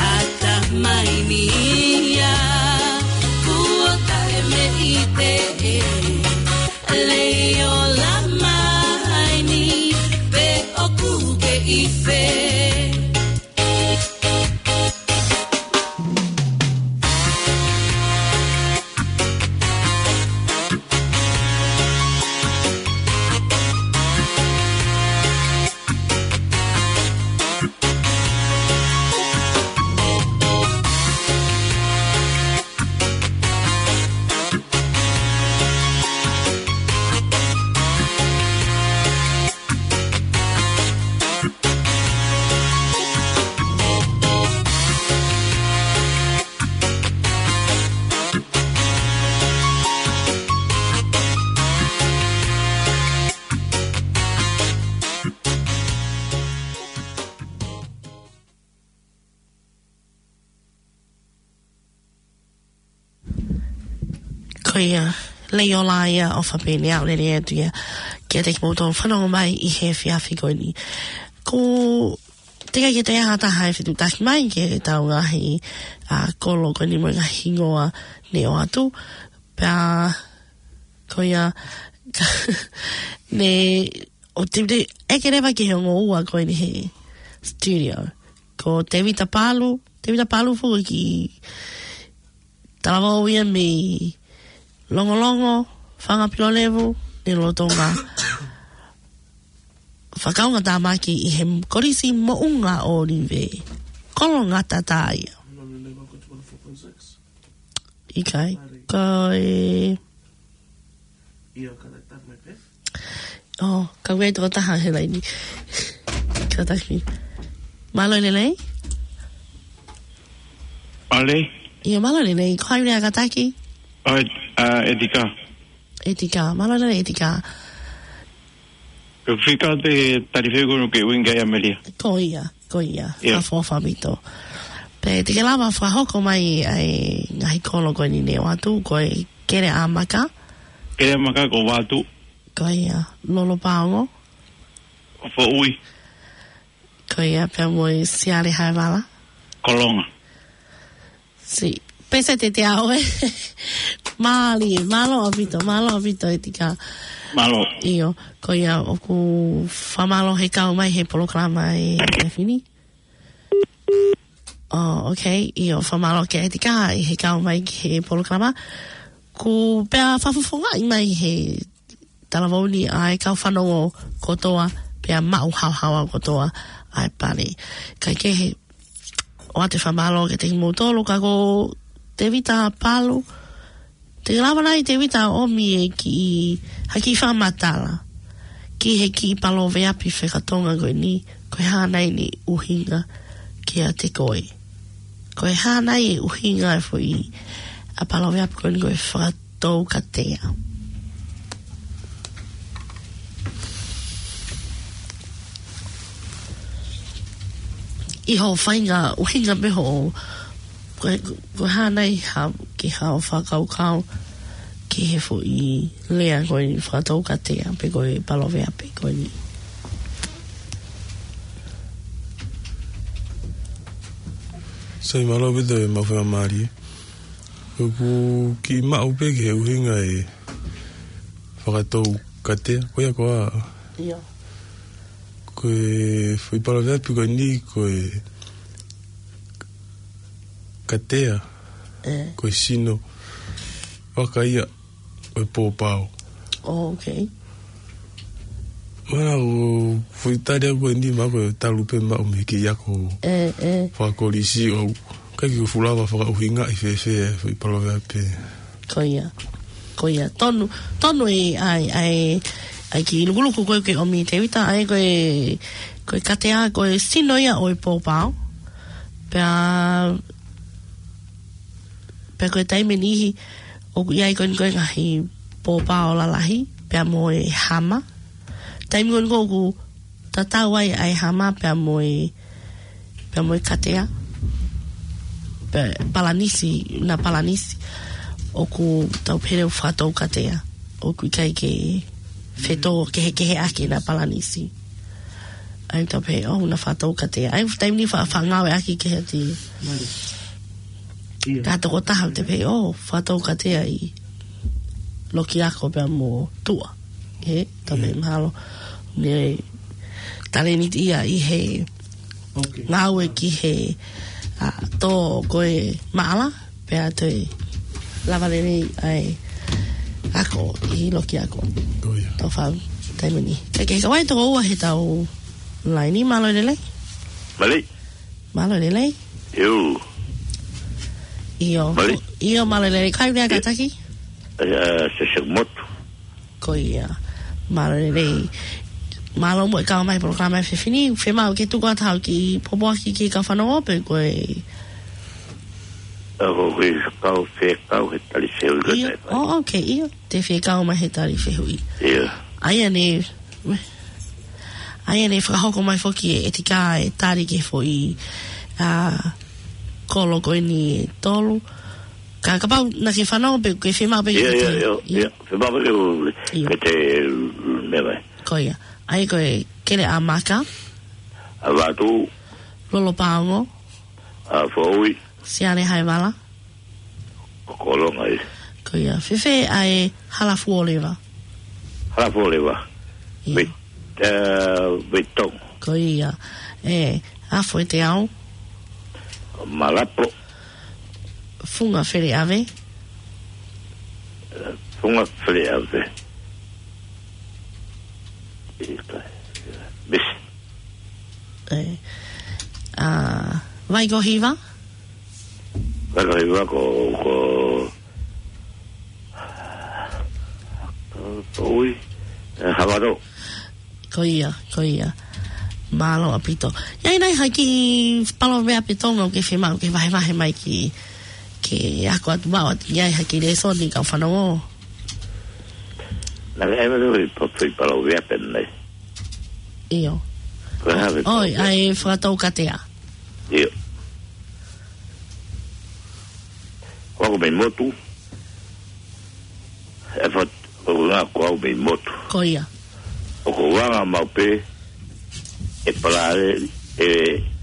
ʻatamai ni ia, kuo taʻe mei te e. Leiola mai ni, pe ʻoku ke ʻi fē. Ko ia, Leiola ia ʻo Fapene au lele atu ia. Kiate kimoutolu fanongo mai ʻi he efiafi ko eni. Ko te kai ke te aha taha e fetuʻutaki mai ki heʻetau ngaahi, ʻa, kolo ko eni mo e ngaahi hingoa ne ʻoatu. Pea, ko ia, ne, ʻo te, te, ʻeke leva ki he ongo ua ko eni he studio. Ko Tevita Palu, Tevita Palu foki ki Talavou ia mei Longolongo, Fanga Pilolevu, ne lolotonga fakaʻaonga tāmaki ʻi he Kolisi Moʻunga ʻŌlive. Kolo Ngata tā ia. ʻIkai, ko e ʻIo, ka lai tapu mai pē. ʻO, ka ʻoku ʻi ai toko taha he laini. Kātaki. Mālō e lelei? Mālō. ʻIo, mālō e lelei. Ko hai lea kātaki? ʻO, ʻa, ʻEtika. ʻEtika. Mālō e lelei, ʻEtika. Ko e fika te talifeʻi kono ke uinga ia Melia. Ko ia, ko ia. ʻIo. Ka fo famito. Pea te ke lava fakahoko mai ʻa e ngaahi kolo ko eni ne ʻoatu, ko e Keleʻamaka. Keleʻamaka ko Vatu. Ko ia, Lolopaongo. Foʻui. Ko ia, pea mo e Siale Haevala. Kolonga. Si, pese te te au ē. Mālie, mālō ʻaupito, mālō ʻaupito ʻEtika. Mālō. ʻIo, ko ia ʻoku fakamālō he kau mai he polokalama ʻi he efiafi ni. ʻO, okay, ʻio, fakamālō kia ʻEtika ʻi he kau mai ki he polokalama. Ko pea fakafofongaʻi mai he talavou ni ʻa e kau fanongo kotoa pea maʻu haohaoa kotoa ʻa e pale. Kae kehe, ʻoatu e fakamālō kiate kimoutolu, ka ko Tevita Palu, te ke lava nai Tevita ʻo ʻomi e kiʻi, ha kiʻi fakamatala ki he kiʻi paloveape fakatonga ko eni, ko e hā nai ʻene ʻuhinga kiate koe. Ko e hā nai e ʻuhinga e foʻi, ʻa e paloveape ko eni ko e fakatoukatea. ʻI hoʻo feinga ʻuhinga pē hoʻo, ko e, ko e hā nai ha, ke hao fakakaukau ki he foʻi lea ko eni fakatoukatea pe ko e paloveape ko eni. Sai, mālō ʻaupito e maʻu faingamālie. ʻOku kiʻi maʻu pē ki he ʻuhinga e fakatoukatea, ko ia ko ā. ʻIo. Ko e foʻi paloveape ko eni ko e katea, ʻe, ko e sino vaka ia ʻo e pōpao. Oh, okay. Mana ʻoku foʻi tali ʻaku ko eni ma ko e talu pē maʻu mei he kiʻi ako, ʻe, ʻe, fakakolisi ʻoku ʻikai ke u fuʻu lava fakaʻuhingaʻi fēfē e foʻi paloveape. Ko ia. Ko ia. Tonu, tonu e, ʻa e, ʻa e, ʻa e kiʻi lukuluku ko ē ke ʻomi Tevita, ʻa e ko e, ko e katea, ko e sino ia ʻo e pōpao. Pea, pea ko e taimi ʻe niʻihi, ʻoku ʻi ai ko eni ko e ngaahi pōpao lalahi, pea mo e hama. Taimi ko eni ʻoku tatau ai ʻa e hama pea mo e, pea mo e katea. Pea palanisi, na palanisi. ʻOku tau pehē ʻoku fakatoukatea. ʻOku ʻikai ke fetōkehekeheʻaki na palanisi. ʻA ia tau pehē, oh, na fakatoukatea. ʻA ia taimi ni fa-, fakangāueʻaki ki he ti. Mālie. ʻIo. Ka tokotaha te pehē, oh, fakatoukatea ʻi Lokiako pea mo Tuʻa. He, tau pehē, ʻio, mahalo. Ne talēniti ia ʻi he, okay, ngāue ki he, ʻa, tō ko e maʻala, pea toe lava lelei ʻa e ako ʻi Lokiako. Ko ia. Tau fau, taimi ni. Kae kehe, kau ai toko ua he tau laini, mālō e lelei. Mālie. Mālō e lelei. ʻIo. ʻIo. Mālie. ʻIo, mālō e lelei. Kai lea, ʻio, kātaki? ʻE, ʻe, se se motu. Ko ia. Mālō e lelei. Mālō muʻa e kau mai polokalama e efiafi ni. Fiemaʻu ke tuku atu haʻo kiʻi pōpoaki ki he kau fanongo pe ko e. ʻA, ko e kiʻi kau fekau he tali fehuʻi. ʻIo. Ko e, oh, okay, ʻio. Te fekau mai he tali fehuʻi. ʻIo. ʻA ia ne, ʻa ia ne fakahoko mai foki e ʻEtika e tali ki he foʻi, ʻa, kolo ko eni ʻe tolu. Ka, kapau naʻa ke fanongo pe ke fiemaʻu pē ke, ʻio, ʻio, ʻio, ʻio, ʻio. Fiemaʻu pē ke u, ʻio, ke te, mm, meʻa mai. Ko ia. ʻA ia ko e Keleʻamaka. ʻA Vatu. Lolopaongo. ʻA Foʻui. Siale Haevala. Ko Kolonga ē. Ko ia. Fēfē ʻa e Halafuoleva? Halafuoleva. ʻIo. Vei, ʻe, Veitongo. Ko ia. ʻE, Afoeteau. Malapo. Funga Feleʻave. ʻE, Funga Feleʻave. ʻIkai. Miss. ʻE, ʻa, Vaikohiva? Vaikohiva ko, ko, ko ui, ʻe, Havaro. Ko ia, ko ia. Mālō ʻaupito. ʻI ai nai ha kiʻi paloveape Tonga ʻoku ke fiemaʻu ke vahevahe mai ki, ke ako atu maʻu atu, ʻi ai ha kiʻi lēsoni kau fanongo? Naʻe ʻi ai e meʻa ko e pa-, foʻi paloveape nei. ʻIo. Ko e hā e, ʻoi, paloveape? ʻA e fakatoukatea. ʻIo. Ko au mei motu. ʻE fat-, ko ngā ko au mei motu. Ko ia. ʻOku ou anga maʻu pē e palale, ʻe,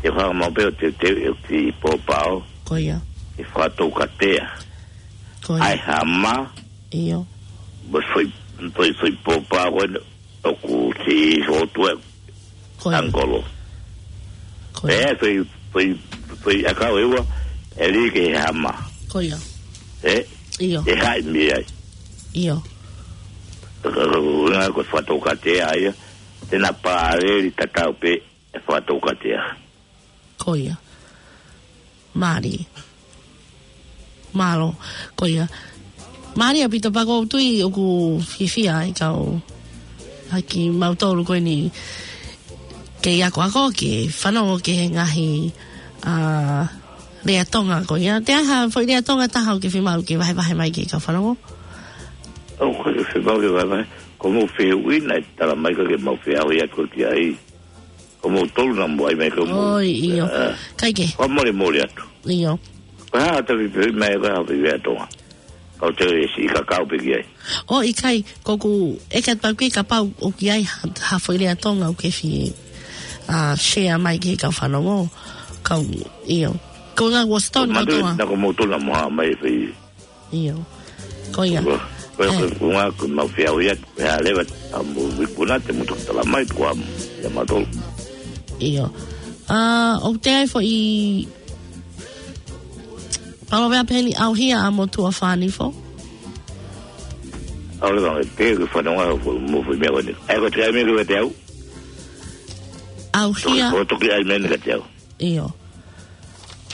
ʻe anga maʻu pē ʻo te, te, ʻe te pōpao. Ko ia. ʻE fakatoukatea. Ko ia. ʻA e hama. ʻIo. Mo e foʻi, foʻi, foʻi pōpao ko ē ʻoku te sotu e. Ko ia. Angolo. Ko ia. ʻE, foʻi, foʻi, foʻi ʻakau ʻe ua, ʻe lī ki he hama. Ko ia. ʻE? ʻIo. ʻE haʻi mei ai. ʻIo. Ka, ka, ka, ko e fakatoukatea ia. Te na paleli tatau pē e fakatoukatea. Ko ia. Mālie. Mālō. Ko ia. Mālie ʻaupito pea ʻoku ou tui ʻoku fiefia ai kau haki mautolu ko eni ke akoako ke fanongo ki he ngaahi, ā, lea Tonga ko ia. Te aha foʻi lea Tonga taha ʻoku ke fiemaʻu ke vahevahe mai ki he kau fanongo? ʻOku ou fiemaʻu ke vahevahe. Ko mou fehuʻi naʻe tala mai ka ke mau feʻauhi atu ki ai. Ko moutolu naʻa mou ʻai mai ka mou. ʻOi, ʻio. Ā. Kae kehe. Ko e molemole atu. ʻIo. Ko e hā ʻeta fehuʻi mai ko e hā fehuʻi lea Tonga. Kau te siʻi kakau pē ki ai. ʻOi, ʻikai, ʻoku ou ʻeke atu pē kapau ʻoku ʻi ai ha, ha foʻi lea Tonga ʻoku ke fie, ā, share mai ki he kau fanongo. Kau, ʻio. Ko e ngaahi Washington Ko matu, Tonga. Naʻa ko moutolu naʻa mou haʻu mai e fehuʻi. ʻIo. Ko ia. Ko, ko, ʻE. ko, ko, ko, ko mau feʻauhi atu, ko e hā leva, ʻa mou ikuna te mou toki tala mai, ko am, ia mautolu. ʻIo. Ā, ʻoku ʻi ai foʻi palōveape heni, ʻauhia ʻa motuʻa fānifo. ʻAu leva, ʻe te ke fanongo ʻa e foʻi, mo e foʻi meʻa ko eni. ʻAi ko e te ʻai meʻa kiate au. ʻAuhia. Toki, ko toki ʻai meʻa ni kiate au. ʻIo.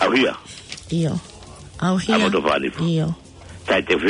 ʻAuhia. ʻIo. ʻAuhia. ʻA motuʻa fānifo. ʻIo. Tai te